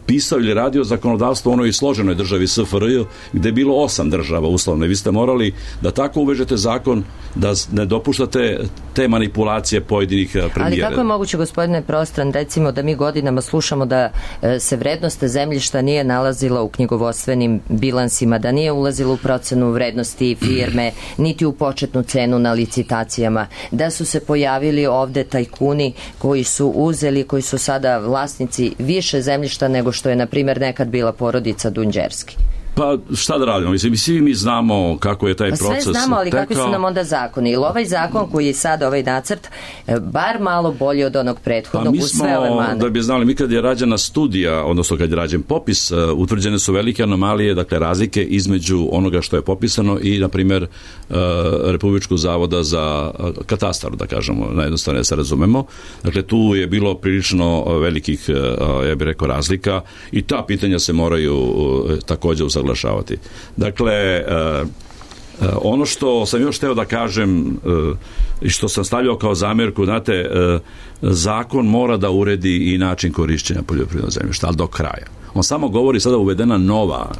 Speaker 6: pisao ili radio zakonodavstvo u onoj složenoj državi S F R J gde je bilo osam država uslovno. Vi ste morali da tako uvežete zakon da ne dopuštate te manipulacije pojedinih premijera.
Speaker 2: Ali kako je moguće, gospodine Prostran, recimo da mi godinama slušamo da se vrednost zemljišta nije nalazila u knjigovodstvenim bilansima, da nije ulazila u procenu vrednosti firme, niti u početnu cenu na licitacijama, da su se pojavili ovde tajkuni koji su uzeli, koji su sada vlasnici više zemljišta nego što je, na primjer, nekad bila porodica Dunđerski.
Speaker 6: Pa šta da radimo? Mislim, svi mi znamo kako je taj
Speaker 2: pa
Speaker 6: proces.
Speaker 2: Sve znamo, ali
Speaker 6: tekao.
Speaker 2: kakvi su nam onda zakoni? Ili ovaj zakon koji je sad, ovaj nacrt, bar malo bolji od onog prethodnog
Speaker 6: pa
Speaker 2: u sve ove mane?
Speaker 6: Da bi znali, mi kad je rađena studija, odnosno kad je rađen popis, uh, utvrđene su velike anomalije, dakle razlike između onoga što je popisano i, na primjer, uh, Republičkog zavoda za uh, katastar, da kažemo, najjednostavnije se razumemo. Dakle, tu je bilo prilično velikih, uh, ja bih rekao, razlika i ta pitanja se moraju uh, takođe usaglašavati. Dakle, uh, uh, ono što sam još hteo da kažem uh, i što sam stavljao kao zamjerku, znate, uh, zakon mora da uredi i način korišćenja poljoprivrednog zemljišta, ali do kraja. On samo govori sada uvedena nova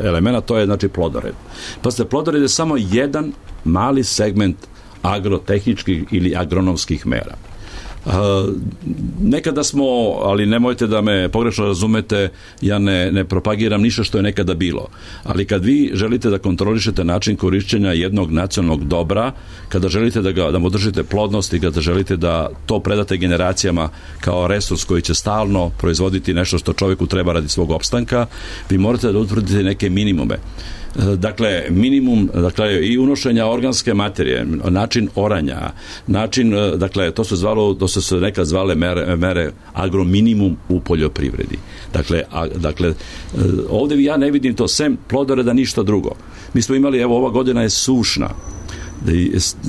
Speaker 6: elemena, to je znači plodored. Pa ste, plodored je samo jedan mali segment agrotehničkih ili agronomskih mera. Uh, nekada smo, ali nemojte da me pogrešno razumete, ja ne, ne propagiram ništa što je nekada bilo, ali kad vi želite da kontrolišete način korišćenja jednog nacionalnog dobra, kada želite da ga, da mu držite plodnost i kada želite da to predate generacijama kao resurs koji će stalno proizvoditi nešto što čovjeku treba radi svog opstanka, vi morate da utvrdite neke minimume. Dakle, minimum, dakle, i unošenja organske materije, način oranja, način, dakle, to se zvalo, to su se nekad zvale mere, mere agrominimum u poljoprivredi. Dakle, a, dakle, ovdje ja ne vidim to sem plodoreda ništa drugo. Mi smo imali, evo, ova godina je sušna,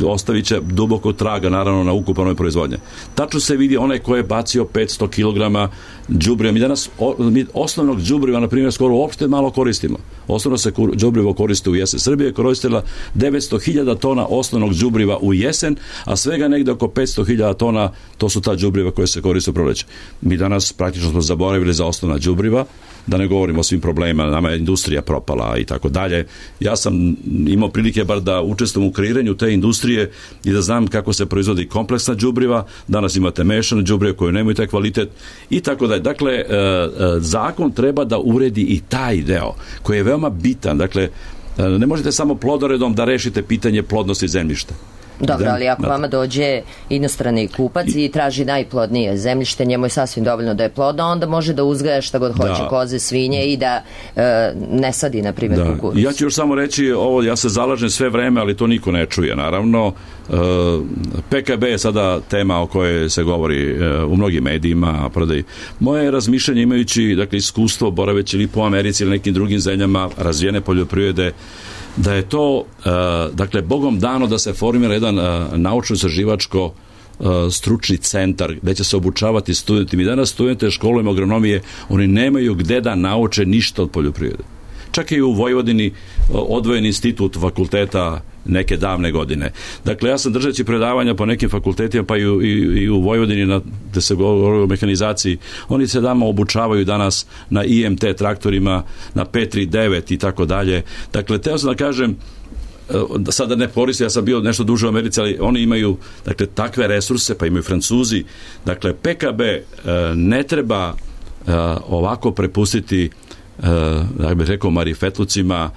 Speaker 6: ostavit će duboko traga naravno na ukupanoj proizvodnje. Tačno se vidi onaj ko je bacio petsto kilograma đubriva. Mi danas o, mi osnovnog đubriva, na primjer, skoro uopšte malo koristimo. Osnovno se đubrivo koriste u jesen. Srbija je koristila devetsto hiljada tona osnovnog đubriva u jesen, a svega negde oko petsto hiljada tona, to su ta đubriva koje se koriste u proleće. Mi danas praktično smo zaboravili za osnovna đubriva, da ne govorimo o svim problemima, nama je industrija propala i tako dalje. Ja sam imao prilike bar da učestvujem u kreiranju te industrije i da znam kako se proizvodi kompleksna đubriva. Danas imate mešane đubrive koje nemaju taj kvalitet i tako dalje. Dakle, zakon treba da uredi i taj deo koji je veoma bitan. Dakle, ne možete samo plodoredom da rešite pitanje plodnosti zemljišta.
Speaker 2: Dobro, ali ako vama dođe inostrani kupac i traži najplodnije zemljište, njemu je sasvim dovoljno da je plodno, onda može da uzgaja šta god hoće, da. Koze, svinje i da e, ne sadi, na primjer, da. Kukuruz.
Speaker 6: Ja ću još samo reći ovo, ja se zalažem sve vreme, ali to niko ne čuje, naravno. E, P K B je sada tema o kojoj se govori e, u mnogim medijima, prodaj. Moje razmišljanje, imajući, dakle, iskustvo boraveći ili po Americi ili nekim drugim zemljama razvijene poljoprivrede, da je to, uh, dakle, Bogom dano da se formira jedan uh, naučno-istraživačko uh, stručni centar gde će se obučavati studenti. Mi danas studente školujemo agronomije, oni nemaju gde da nauče ništa od poljoprivrede. Čak i u Vojvodini uh, odvojen institut fakulteta neke davne godine. Dakle, ja sam držeći predavanja po nekim fakultetima, pa i u, i, i u Vojvodini, na, gde se govori o mehanizaciji, oni se dama obučavaju danas na I M T traktorima, na P trideset devet i tako dalje. Dakle, teo sam da kažem, sada ne koristim, ja sam bio nešto duže u Americi, ali oni imaju, dakle, takve resurse, pa imaju Francuzi. Dakle, P K B ne treba ovako prepustiti, da bih rekao, marifetlucima.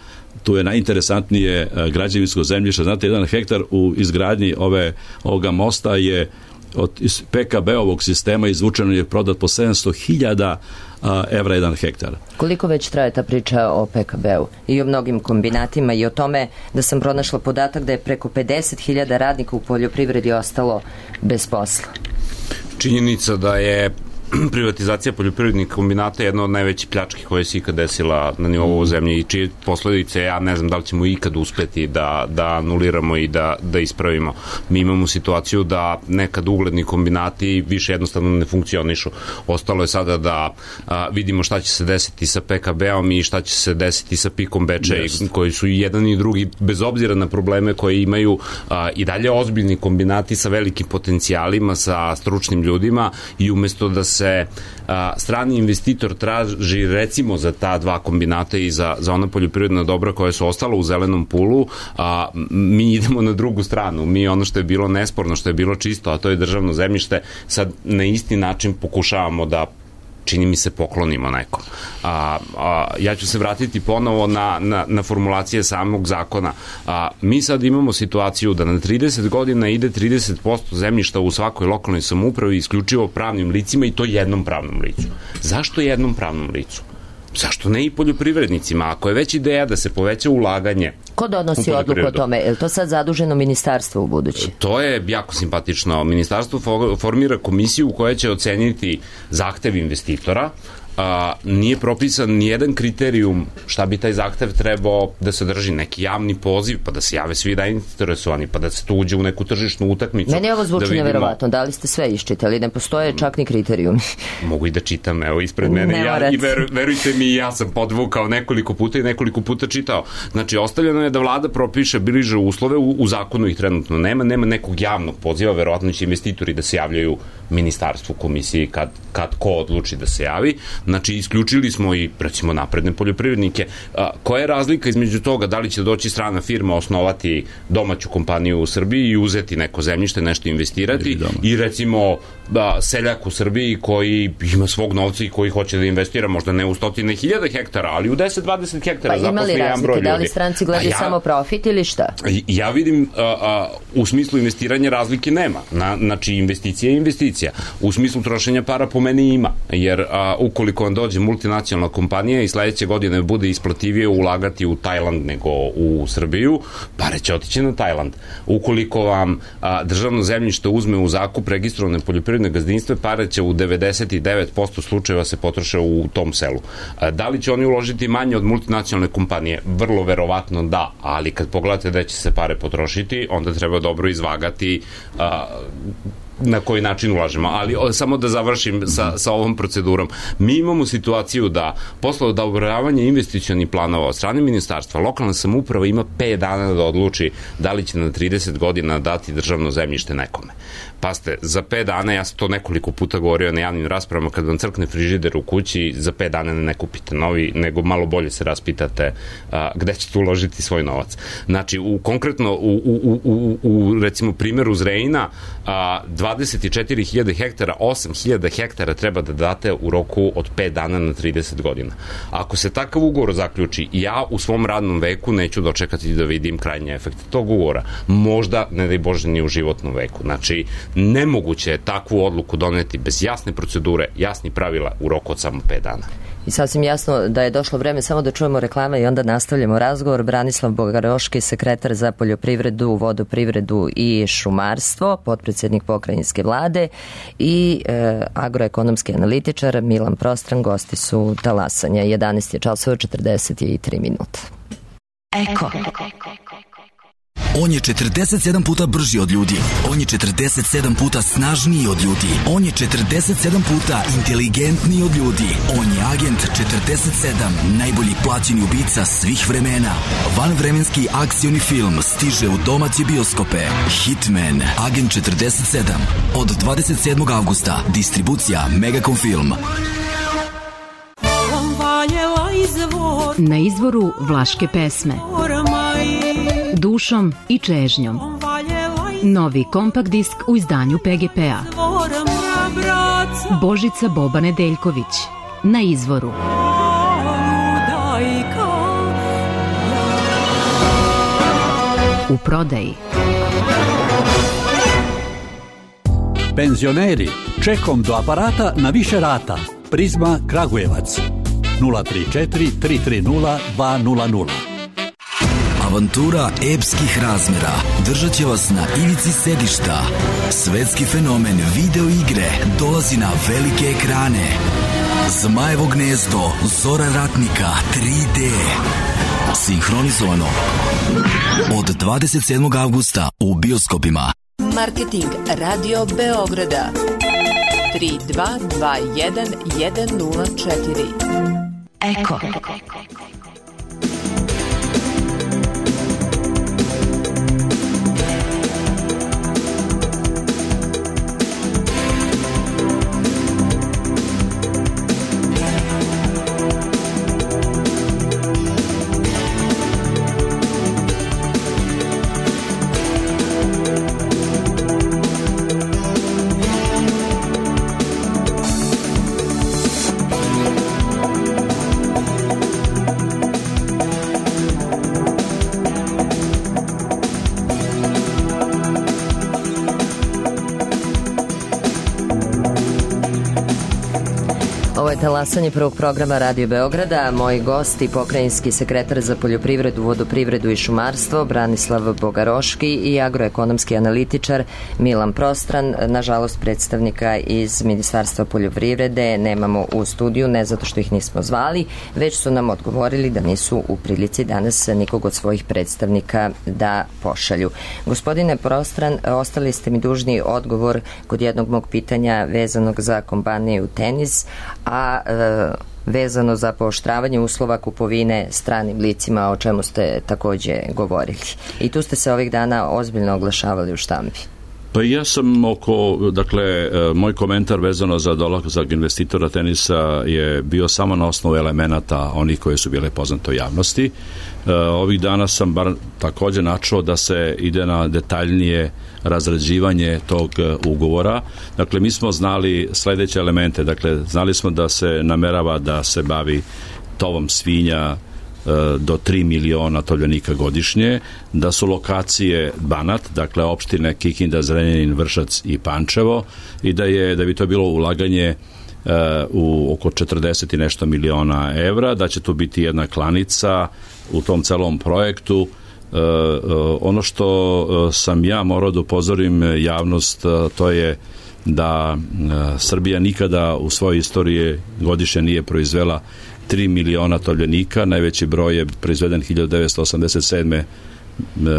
Speaker 6: Tu je najinteresantnije građevinsko zemljište. Znate, jedan hektar u izgradnji ove, ovoga mosta je od P K B-ovog sistema izvučeno je prodat po sedamsto hiljada evra jedan hektar.
Speaker 2: Koliko već traje ta priča o P K B-u i o mnogim kombinatima i o tome da sam pronašla podatak da je preko pedeset hiljada radnika u poljoprivredi ostalo bez posla?
Speaker 5: Činjenica da je privatizacija poljoprivrednih kombinata je jedna od najvećih pljački koje se ikad desila na nivou mm. zemlje i čije posledice, ja ne znam da li ćemo ikad uspeti da, da anuliramo i da, da ispravimo. Mi imamo situaciju da nekad ugledni kombinati više jednostavno ne funkcionišu. Ostalo je sada da a, vidimo šta će se desiti sa P K B-om i šta će se desiti sa Pikom Bečej, yes. koji su i jedan i drugi, bez obzira na probleme koje imaju, a, i dalje ozbiljni kombinati sa velikim potencijalima, sa stručnim ljudima, i umesto da se se a, strani investitor traži recimo za ta dva kombinata i za, za ona poljoprivredna dobra koja su ostala u zelenom pulu, a mi idemo na drugu stranu. Mi ono što je bilo nesporno, što je bilo čisto, a to je državno zemljište, sad na isti način pokušavamo da čini mi se poklonimo nekom. A, a, ja ću se vratiti ponovo na, na, na formulacije samog zakona. A, mi sad imamo situaciju da na trideset godina ide trideset posto zemljišta u svakoj lokalnoj samoupravi isključivo pravnim licima i to jednom pravnom licu. Zašto jednom pravnom licu? Zašto ne i poljoprivrednicima? Ako je već ideja da se poveća ulaganje...
Speaker 2: Ko donosi odluku o tome? Je li to sad zaduženo ministarstvo u budući?
Speaker 5: To je jako simpatično. Ministarstvo formira komisiju koja će oceniti zahtev investitora. A, nije propisan nijedan kriterijum šta bi taj zahtev trebao da sadrži, neki javni poziv, pa da se jave svi da interesovani, pa da se tu uđe u neku tržišnu utakmicu.
Speaker 2: Meni ovo zvuči
Speaker 5: da vidimo...
Speaker 2: neverovatno, da li ste sve iščitali, ne postoje čak ni kriterijumi.
Speaker 5: Mogu i da čitam, evo, ispred mene, ja, i ver, verujte mi, ja sam podvukao nekoliko puta i nekoliko puta čitao. Znači, ostavljeno je da vlada propiše bliže uslove, u, u zakonu ih trenutno nema, nema nekog javnog poziva, verovatno će investitori da se javljaju ministarstvu, komisiji, kad, kad ko odluči da se javi. Znači, isključili smo i, recimo, napredne poljoprivrednike. A, koja je razlika između toga da li će doći strana firma, osnovati domaću kompaniju u Srbiji i uzeti neko zemljište, nešto investirati i, recimo, da, seljak u Srbiji koji ima svog novca i koji hoće da investira možda ne u stotine hiljada hektara, ali u deset dvadeset hektara
Speaker 2: pa
Speaker 5: zaposli jedan broj ljudi.
Speaker 2: Da li stranci gledaju ja, samo profit ili šta?
Speaker 5: Ja vidim a, a, u smislu investiranja razlike nema. Na, znači, investicija je investicija. U smislu trošenja para po meni ima, jer a, ukoliko vam dođe multinacionalna kompanija i sledeće godine bude isplativije ulagati u Tajland nego u Srbiju, pare će otići na Tajland. Ukoliko vam a, državno zemljište uzme u zakup registrovane poljoprivredne gazdinstve, pare će u devedeset devet posto slučajeva se potroše u tom selu. A, da li će oni uložiti manje od multinacionalne kompanije? Vrlo verovatno da, ali kad pogledate da će se pare potrošiti, onda treba dobro izvagati a, na koji način ulažemo, ali o, samo da završim sa, sa ovom procedurom. Mi imamo situaciju da posle odobravanja investicionih planova od strane ministarstva, lokalna samouprava ima pet dana da odluči da li će na trideset godina dati državno zemljište nekome. Paste, za pet dana, ja sam to nekoliko puta govorio na javnim raspravama, kad vam crkne frižider u kući, za pet dana ne kupite novi, nego malo bolje se raspitate a, gde ćete uložiti svoj novac. Znači, u, konkretno, u, u, u, u recimo primjeru Zrejina, a, dvadeset četiri hiljade hektara, osam hiljada hektara treba da date u roku od pet dana na trideset godina. Ako se takav ugovor zaključi, ja u svom radnom veku neću dočekati da vidim krajnje efekte tog ugovora. Možda, ne daj Bože, ni u životnom veku. Znači, nemoguće je takvu odluku doneti bez jasne procedure, jasnih pravila u roku od samo pet dana.
Speaker 2: I sasvim jasno da je došlo vreme samo da čujemo reklame i onda nastavljamo razgovor. Branislav Bogaroški, sekretar za poljoprivredu, vodoprivredu i šumarstvo, potpredsjednik pokrajinske vlade i e, agroekonomski analitičar Milan Prostran, gosti su Talasanja. jedanaest je časova, četrdeset tri minuta.
Speaker 7: Eko. On je četrdeset sedam puta brži od ljudi. On je četrdeset sedam puta snažniji od ljudi. On je četrdeset sedam puta inteligentniji od ljudi. On je agent četrdeset sedam, najbolji plaćeni ubica svih vremena. Vanvremenski akcioni film stiže u domaće bioskope. Hitman, agent četrdeset sedam. Od dvadeset sedmog avgusta. Distribucija Megacom Film.
Speaker 8: Na izvoru vlaške pesme. Dušom i čežnjom. Novi kompakt disk u izdanju P G P-a. Božica Boba Nedeljković. Na izvoru. U prodaji.
Speaker 9: Penzioneri, čekom do aparata na više rata. Prizma Kragujevac. nula tri četiri tri tri nula dva nula nula.
Speaker 7: Avantura epskih razmera držat će vas na ivici sedišta. Svetski fenomen video igre dolazi na velike ekrane. Zmajevo gnezdo, Zora ratnika, tri D. Sinhronizovano od dvadeset sedmog avgusta u bioskopima.
Speaker 10: Marketing Radio Beograda tri dva dva jedan jedan nula četiri. Eko.
Speaker 2: Ovo je talasanje prvog programa Radio Beograda. Moji gosti, pokrajinski sekretar za poljoprivredu, vodoprivredu i šumarstvo Branislav Bogaroški i agroekonomski analitičar Milan Prostran. Nažalost, predstavnika iz Ministarstva poljoprivrede nemamo u studiju, ne zato što ih nismo zvali, već su nam odgovorili da nisu u prilici danas nikog od svojih predstavnika da pošalju. Gospodine Prostran, ostali ste mi dužni odgovor kod jednog mog pitanja vezanog za kompaniju Tenis, a e, vezano za pooštravanje uslova kupovine stranim licima, o čemu ste takođe govorili. I tu ste se ovih dana ozbiljno oglašavali u štampi.
Speaker 6: Pa ja sam oko, dakle, moj komentar vezano za dolazak investitora Tenisa je bio samo na osnovu elemenata onih koje su bile poznate u javnosti. Ovih dana sam bar takođe načuo da se ide na detaljnije razrađivanje tog ugovora. Dakle, mi smo znali sledeće elemente. Dakle, znali smo da se namerava da se bavi tovom svinja do tri miliona tovljenika godišnje, da su lokacije Banat, dakle opštine Kikinda, Zrenjanin, Vršac i Pančevo, i da je da bi to bilo ulaganje uh, u oko četrdeset i nešto miliona evra, da će tu biti jedna klanica u tom celom projektu. Uh, uh, ono što uh, sam ja morao da upozorim javnost, uh, to je da uh, Srbija nikada u svojoj istoriji godišnje nije proizvela tri miliona tovljenika, najveći broj je proizveden hiljadu devetsto osamdeset sedme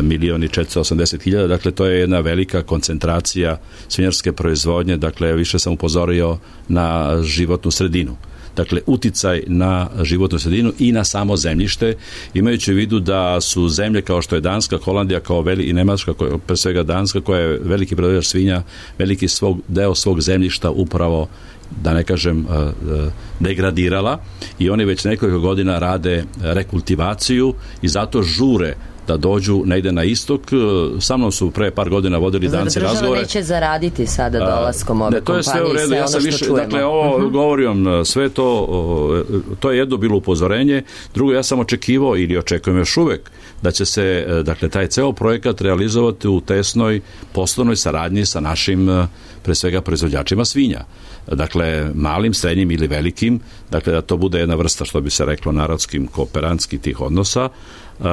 Speaker 6: milioni četiristo osamdeset hiljada, dakle to je jedna velika koncentracija svinjarske proizvodnje, dakle više sam upozorio na životnu sredinu. Dakle, uticaj na životnu sredinu i na samo zemljište, imajući u vidu da su zemlje kao što je Danska, Holandija kao veli, i Nemačka, koja, pre svega Danska, koja je veliki proizvođač svinja, veliki svog, deo svog zemljišta upravo, da ne kažem, degradirala, i oni već nekoliko godina rade rekultivaciju i zato žure da dođu negde na istok. Sa mnom su pre par godina vodili Danci razgovore.
Speaker 2: Država neće zaraditi sada dolaskom ove
Speaker 6: ne, to je
Speaker 2: kompanije
Speaker 6: sve u redu.
Speaker 2: sve
Speaker 6: Ja
Speaker 2: ono
Speaker 6: sam
Speaker 2: što
Speaker 6: više,
Speaker 2: čujemo.
Speaker 6: dakle, ovo uh-huh. govorim sve to, to je jedno bilo upozorenje. Drugo, ja sam očekivao ili očekujem još uvek da će se, dakle, taj ceo projekat realizovati u tesnoj poslovnoj saradnji sa našim, pre svega, proizvođačima svinja. Dakle, malim, srednjim ili velikim, dakle, da to bude jedna vrsta, što bi se reklo, narodskim, kooperantskih tih odnosa. Uh,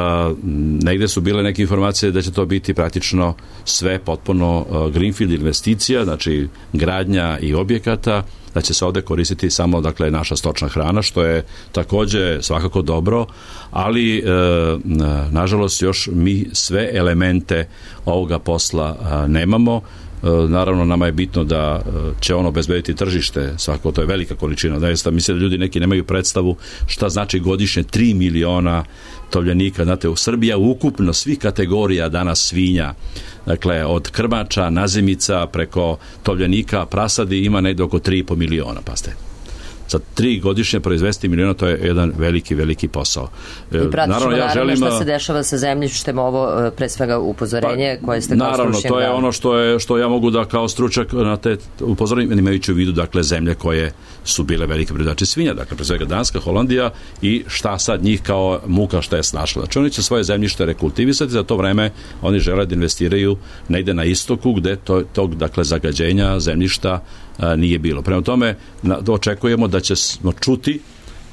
Speaker 6: negde su bile neke informacije da će to biti praktično sve potpuno uh, greenfield investicija, znači gradnja i objekata, da će se ovde koristiti samo, dakle, naša stočna hrana, što je takođe svakako dobro, ali uh, nažalost još mi sve elemente ovoga posla uh, nemamo. Naravno, nama je bitno da će ono obezbediti tržište, svako to je velika količina. Zaista, mislim da ljudi neki nemaju predstavu šta znači godišnje tri miliona tovljenika. Znate, u Srbiji ukupno svih kategorija danas svinja, dakle, od krmača, nazimica, preko tovljenika, prasadi, ima negde oko tri i po miliona, pa ste. Za tri godišnje proizvesti miliona, to je jedan veliki, veliki posao.
Speaker 2: I pratit ćemo ja naravno šta se dešava sa zemljištem, ovo pre svega upozorenje pa, koje ste kao stručnjak.
Speaker 6: Naravno, to je ono što, je, što ja mogu da kao stručnjak na te upozorenje, imajući u vidu, dakle, zemlje koje su bile velike proizvođači svinja, dakle, pre svega Danska, Holandija, i šta sad njih kao muka šta je snašla. Znači, oni će svoje zemljište rekultivisati, za to vreme oni žele da investiraju negde na istoku, gde to, tog, dakle, zagađenja zemljišta a, nije bilo. Prema tome, na, očekujemo da ćemo čuti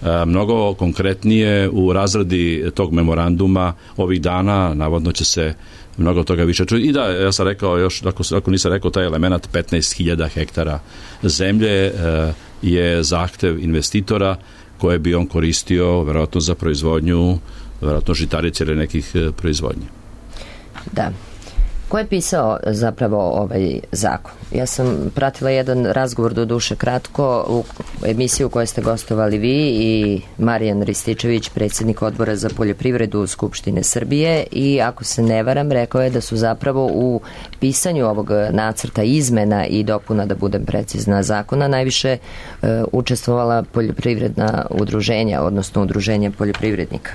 Speaker 6: a, mnogo konkretnije u razradi tog memoranduma ovih dana, navodno će se mnogo toga više čuti. I da, ja sam rekao još, ako, ako nisam rekao taj element, petnaest hiljada hektara zemlje a, je zahtev investitora koje bi on koristio verovatno za proizvodnju, verovatno žitarice ili nekih proizvodnje.
Speaker 2: Da. Ko je pisao zapravo ovaj zakon? Ja sam pratila jedan razgovor, do duše kratko, u emisiju u kojoj ste gostovali vi i Marijan Rističević, predsjednik odbora za poljoprivredu Skupštine Srbije, i ako se ne varam, rekao je da su zapravo u pisanju ovog nacrta izmena i dopuna, da budem precizna, zakona najviše e, učestvovala poljoprivredna udruženja, odnosno udruženja poljoprivrednika.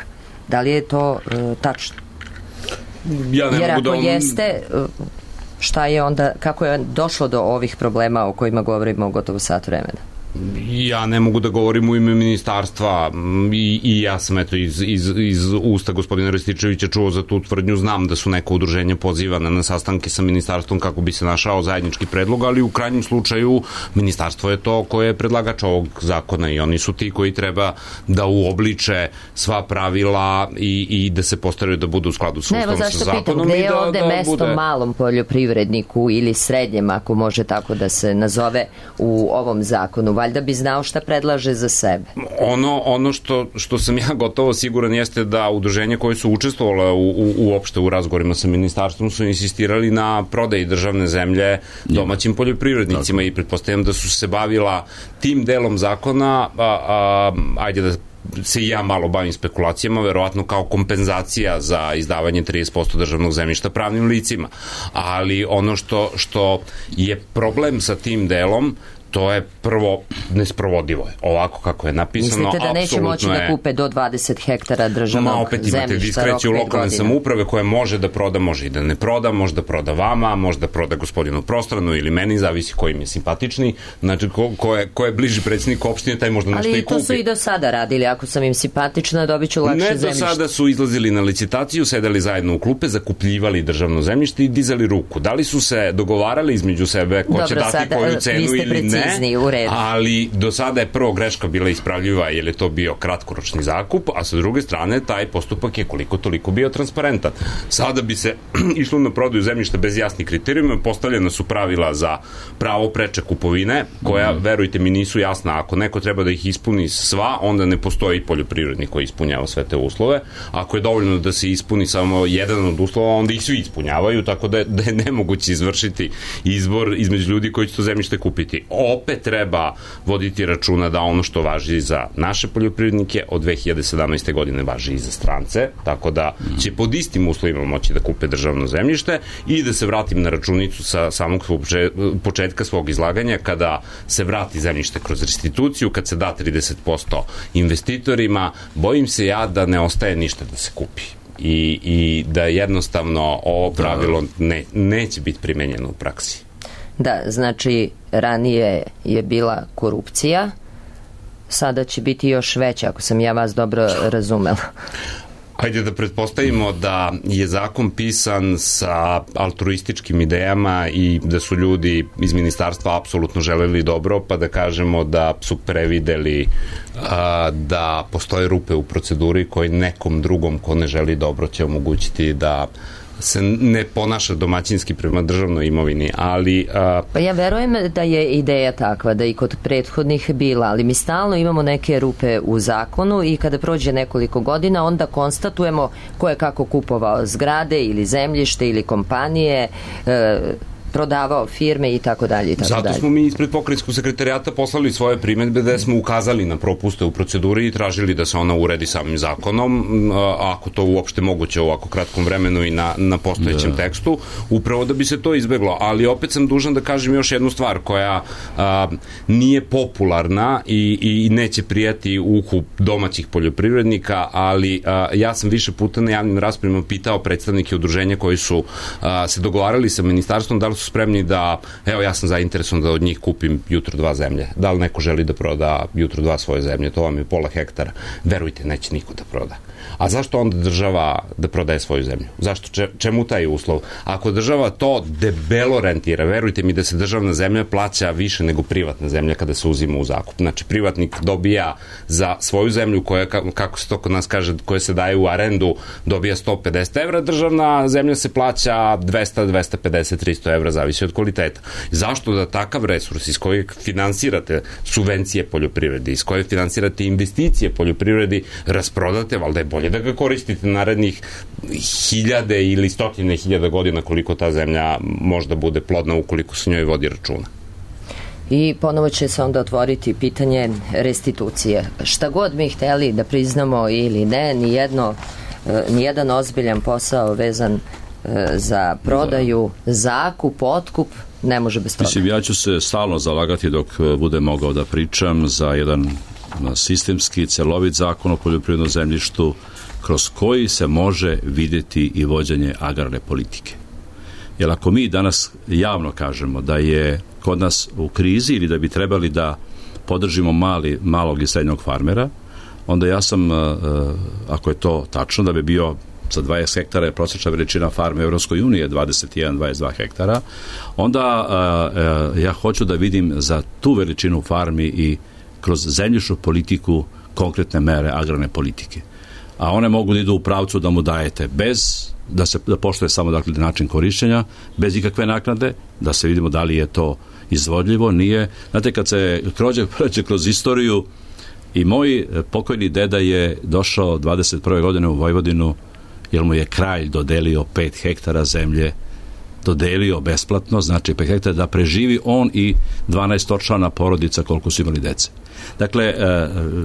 Speaker 2: Da li je to e, tačno?
Speaker 5: Ja ne
Speaker 2: Jer
Speaker 5: mogu
Speaker 2: ako
Speaker 5: da on...
Speaker 2: jeste, šta je onda, kako je došlo do ovih problema o kojima govorimo gotovo sat vremena?
Speaker 5: Ja ne mogu da govorim u ime ministarstva i, i ja sam eto iz, iz, iz usta gospodina Rističevića čuo za tu tvrdnju, znam da su neka udruženja pozivana na sastanke sa ministarstvom kako bi se našao zajednički predlog, ali u krajnjem slučaju ministarstvo je to koje je predlagač ovog zakona i oni su ti koji treba da uobliče sva pravila i, i da se postaraju da budu u skladu sa ustavom, sa zakonom.
Speaker 2: Pitam, gde je
Speaker 5: da,
Speaker 2: ovde
Speaker 5: da
Speaker 2: mesto
Speaker 5: bude...
Speaker 2: malom poljoprivredniku ili srednjem, ako može tako da se nazove, u ovom zakonu? Valjda bi znao šta predlaže za sebe.
Speaker 5: Ono, ono što, što sam ja gotovo siguran jeste da udruženja koje su učestvovala u, u, uopšte u razgovorima sa ministarstvom su insistirali na prodaji državne zemlje domaćim poljoprivrednicima i pretpostavljam da su se bavila tim delom zakona, a, a, ajde da se i ja malo bavim spekulacijama, verovatno kao kompenzacija za izdavanje trideset posto državnog zemljišta pravnim licima. Ali ono što, što je problem sa tim delom, to je prvo nesprovodivo je. Ovako kako je napisano,
Speaker 2: mislite da neće moći da kupe do dvadeset hektara državnog
Speaker 5: Ma, opet
Speaker 2: zemljišta?
Speaker 5: imate diskreciju lokalne samouprave koja može da proda, može i da ne proda, može da proda vama, može da proda gospodinu Prostranu ili meni, zavisi ko im je simpatični. Znači, ko, ko, je, ko je bliži predsjednik opštine, taj možda nešto i kupi.
Speaker 2: Ali to su i do sada radili. Ako sam im simpatična, dobit ću lakše zemljište.
Speaker 5: Ne, do sada su izlazili na licitaciju, sedeli zajedno u klupe, zakupljivali državno zemljište i dizali ruku. Da li su se dogovarali između sebe ko Dobro, će dati sada, koju cenu ili ne? Ali do sada je prvo greška bila ispravljiva jer je to bio kratkoročni zakup, a sa druge strane taj postupak je koliko toliko bio transparentan. Sada bi se išlo na prodaju zemljišta bez jasnih kriterijuma, postavljena su pravila za pravo preče kupovine, koja, mm. verujte mi, nisu jasna. Ako neko treba da ih ispuni sva, onda ne postoji poljoprivrednik koji ispunjava sve te uslove. Ako je dovoljno da se ispuni samo jedan od uslova, onda ih svi ispunjavaju, tako da je, da je nemoguće izvršiti izbor između ljudi koji će to zemljište kupiti. Opet treba voditi računa da ono što važi za naše poljoprivrednike od dve hiljade sedamnaeste. godine važi i za strance, tako da će pod istim uslovima moći da kupe državno zemljište. I da se vratim na računicu sa samog početka svog izlaganja, kada se vrati zemljište kroz restituciju, kad se da trideset posto investitorima, bojim se ja da ne ostaje ništa da se kupi. I, i da jednostavno ovo pravilo ne, neće biti primenjeno u praksi.
Speaker 2: Da, znači ranije je bila korupcija, sada će biti još veća, ako sam ja vas dobro razumela.
Speaker 5: Hajde da pretpostavimo da je zakon pisan sa altruističkim idejama i da su ljudi iz ministarstva apsolutno želeli dobro, pa da kažemo da su prevideli a, da postoje rupe u proceduri koji nekom drugom ko ne želi dobro će omogućiti da se ne ponaša domaćinski prema državnoj imovini, ali... A...
Speaker 2: Pa ja verujem da je ideja takva, da i kod prethodnih bila, ali mi stalno imamo neke rupe u zakonu i kada prođe nekoliko godina, onda konstatujemo ko je kako kupovao zgrade ili zemljište ili kompanije, e, prodavao firme i tako dalje i tako
Speaker 5: Zato
Speaker 2: dalje.
Speaker 5: smo mi ispred pokrajinskog sekretarijata poslali svoje primedbe da smo ukazali na propuste u proceduri i tražili da se ona uredi samim zakonom, ako to uopšte moguće u ovako kratkom vremenu i na, na postojećem da. tekstu, upravo da bi se to izbeglo. Ali opet sam dužan da kažem još jednu stvar koja a, nije popularna i, i neće prijati uhu domaćih poljoprivrednika, ali a, ja sam više puta na javnim raspravima pitao predstavnike udruženja koji su a, se dogovarali sa ministarstvom da li su spremni da, evo ja sam zainteresovan da od njih kupim jutro dva zemlje. Da li neko želi da proda jutro dva svoje zemlje? To vam je pola hektara. Verujte, neće niko da proda. A zašto onda država da prodaje svoju zemlju? Zašto? Čemu taj uslov? Ako država to debelo rentira, verujte mi da se državna zemlja plaća više nego privatna zemlja kada se uzima u zakup. Znači, privatnik dobija za svoju zemlju koja, kako se to kod nas kaže, koja se daje u arendu, dobija sto pedeset evra, državna zemlja se plaća dvesta, dvesta pedeset, tristo evra, zavisi od kvaliteta. Zašto da takav resurs iz kojeg finansirate subvencije poljoprivredi, iz kojeg finansirate investicije poljoprivredi, rasprodate, valjda je bolje da ga koristite narednih hiljade ili stotine hiljada godina koliko ta zemlja možda bude plodna ukoliko se njoj vodi računa.
Speaker 2: I ponovo će se onda otvoriti pitanje restitucije. Šta god mi hteli da priznamo ili ne, nijedno, nijedan ozbiljan posao vezan za prodaju, zakup, otkup ne može bez toga.
Speaker 6: Mislim, ja ću se stalno zalagati dok budem mogao da pričam za jedan sistemski, celovit zakon o poljoprivrednom zemljištu kroz koji se može vidjeti i vođenje agrarne politike. Jer ako mi danas javno kažemo da je kod nas u krizi ili da bi trebali da podržimo mali, malog i srednjog farmera, onda ja sam, ako je to tačno, da bi bio za dvadeset hektara je prosječna veličina farme Evropskoj unije dvadeset jedan do dvadeset dva hektara, onda ja hoću da vidim za tu veličinu farmi i kroz zemljišnu politiku konkretne mere agrarne politike. A one mogu da idu u pravcu da mu dajete bez, da se da poštuje samo dakle način korišćenja, bez ikakve naknade, da se vidimo da li je to izvodljivo, nije. Znate, kad se krođe prođe kroz istoriju, i moj pokojni deda je došao dvadeset prve godine u Vojvodinu, jer mu je kralj dodelio pet hektara zemlje, dodelio besplatno, znači pet hektara, da preživi on i dvanaestočlana porodica koliko su imali dece. Dakle,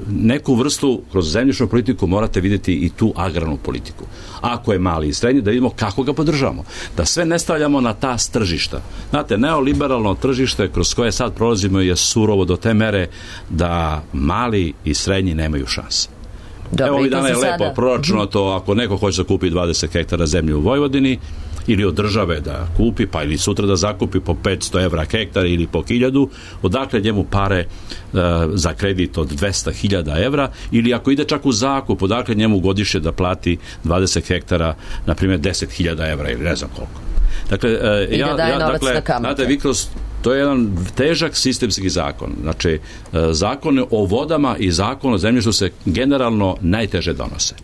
Speaker 6: neku vrstu kroz zemljišnu politiku morate vidjeti i tu agrarnu politiku. Ako je mali i srednji, da vidimo kako ga podržavamo. Da sve ne stavljamo na ta tržišta. Znate, neoliberalno tržište kroz koje sad prolazimo je surovo do te mere da mali i srednji nemaju šanse. Dobre, evo, ovih dana je lepo sada proračunato, ako neko hoće da kupi dvadeset hektara zemlje u Vojvodini, ili od države da kupi, pa ili sutra da zakupi po petsto evra hektar ili po hiljadu, odakle njemu pare e, za kredit od dvesta hiljada evra, ili ako ide čak u zakup, odakle njemu godišnje da plati dvadeset hektara, na primjer deset hiljada evra ili ne znam koliko. Dakle, e,
Speaker 2: I
Speaker 6: ja,
Speaker 2: da
Speaker 6: ja, dakle, znate, vi kroz, to je jedan težak sistemski zakon. Znači, e, zakon o vodama i zakon o zemljištu se generalno najteže donose.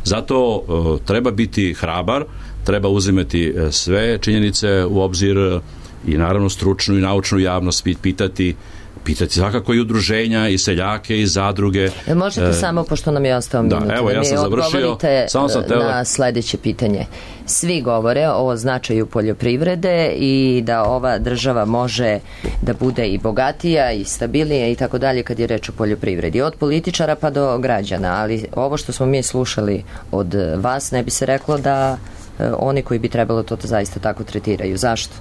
Speaker 6: Zato e, treba biti hrabar, treba uzimati sve činjenice u obzir i naravno stručnu i naučnu javnost pitati, pitati svakako i udruženja i seljake i zadruge.
Speaker 2: Možete e, samo, pošto nam je ostao minut,
Speaker 6: da, evo, ja sam završio, samo sam teo
Speaker 2: na sledeće pitanje. Svi govore o značaju poljoprivrede i da ova država može da bude i bogatija i stabilnija i tako dalje kad je reč o poljoprivredi. Od političara pa do građana, ali ovo što smo mi slušali od vas ne bi se reklo da oni koji bi trebalo to zaista tako tretiraju. Zašto?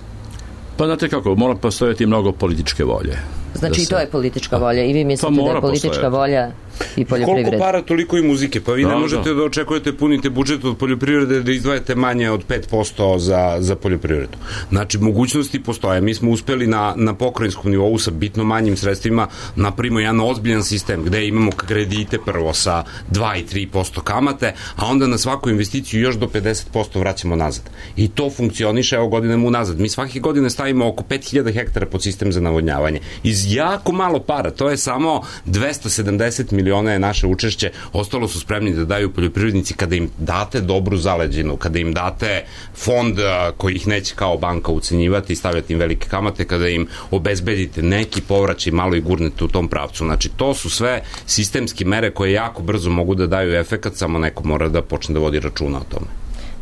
Speaker 6: Pa znate kako, mora postojati mnogo političke volje.
Speaker 2: Znači i to je politička volja i vi mislite pa da je politička postojati. volja i poljoprivrede.
Speaker 5: Koliko para, toliko i muzike. Pa vi da, ne možete da. da očekujete, punite budžet od poljoprivrede da izdvajate manje od pet posto za, za poljoprivredu. Znači, mogućnosti postoje. Mi smo uspeli na, na pokrajinskom nivou sa bitno manjim sredstvima napravimo jedan ozbiljan sistem gde imamo kredite prvo sa dva i tri posto kamate, a onda na svaku investiciju još do pedeset posto vraćamo nazad. I to funkcioniše evo godinama unazad. Mi svake godine stavimo oko pet hiljada hektara pod sistem za navodnjavanje. Iz jako malo para. To je samo dvesta sedamdeset miliona je naše učešće. Ostalo su spremni da daju poljoprivrednici kada im date dobru zaleđinu, kada im date fond koji ih neće kao banka ucenjivati i stavljati im velike kamate, kada im obezbedite neki povraćaj malo i gurnete u tom pravcu. Znači, to su sve sistemske mere koje jako brzo mogu da daju efekat, samo neko mora da počne da vodi računa o tome.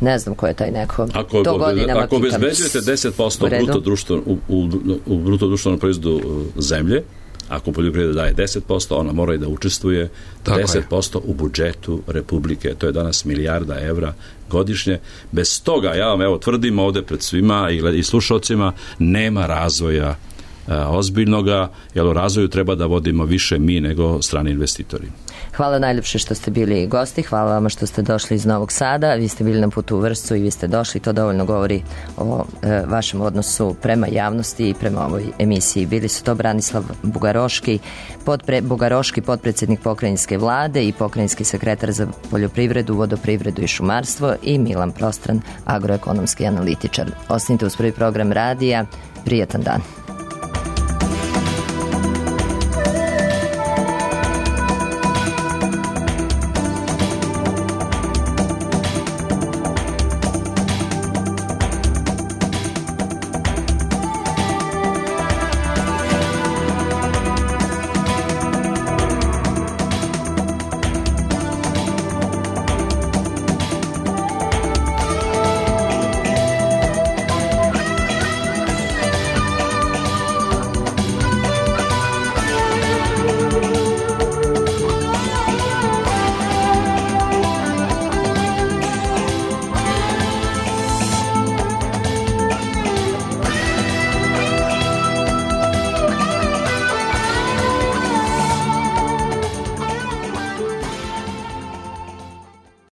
Speaker 2: Ne znam ko je taj neko.
Speaker 6: Ako, to godinama ako obezbeđujete deset posto bruto društvo, u, u, u bruto društvenom proizvodu zemlje, ako poljoprivreda daje deset posto, ona mora i da učestvuje tako deset posto je. U budžetu Republike. To je danas milijarda evra godišnje. Bez toga, ja vam evo tvrdim ovde pred svima i, i slušalcima, nema razvoja a, ozbiljnoga, jer u razvoju treba da vodimo više mi nego strani investitori.
Speaker 2: Hvala najljepše što ste bili gosti, hvala vama što ste došli iz Novog Sada, vi ste bili na putu u Vršcu i vi ste došli, to dovoljno govori o e, vašem odnosu prema javnosti i prema ovoj emisiji. Bili su to Branislav Bugaroški, podpre, Bugaroški potpredsjednik pokrajinske vlade i pokrajinski sekretar za poljoprivredu, vodoprivredu i šumarstvo i Milan Prostran, agroekonomski analitičar. Ostanite uz prvi program radija, prijatan dan.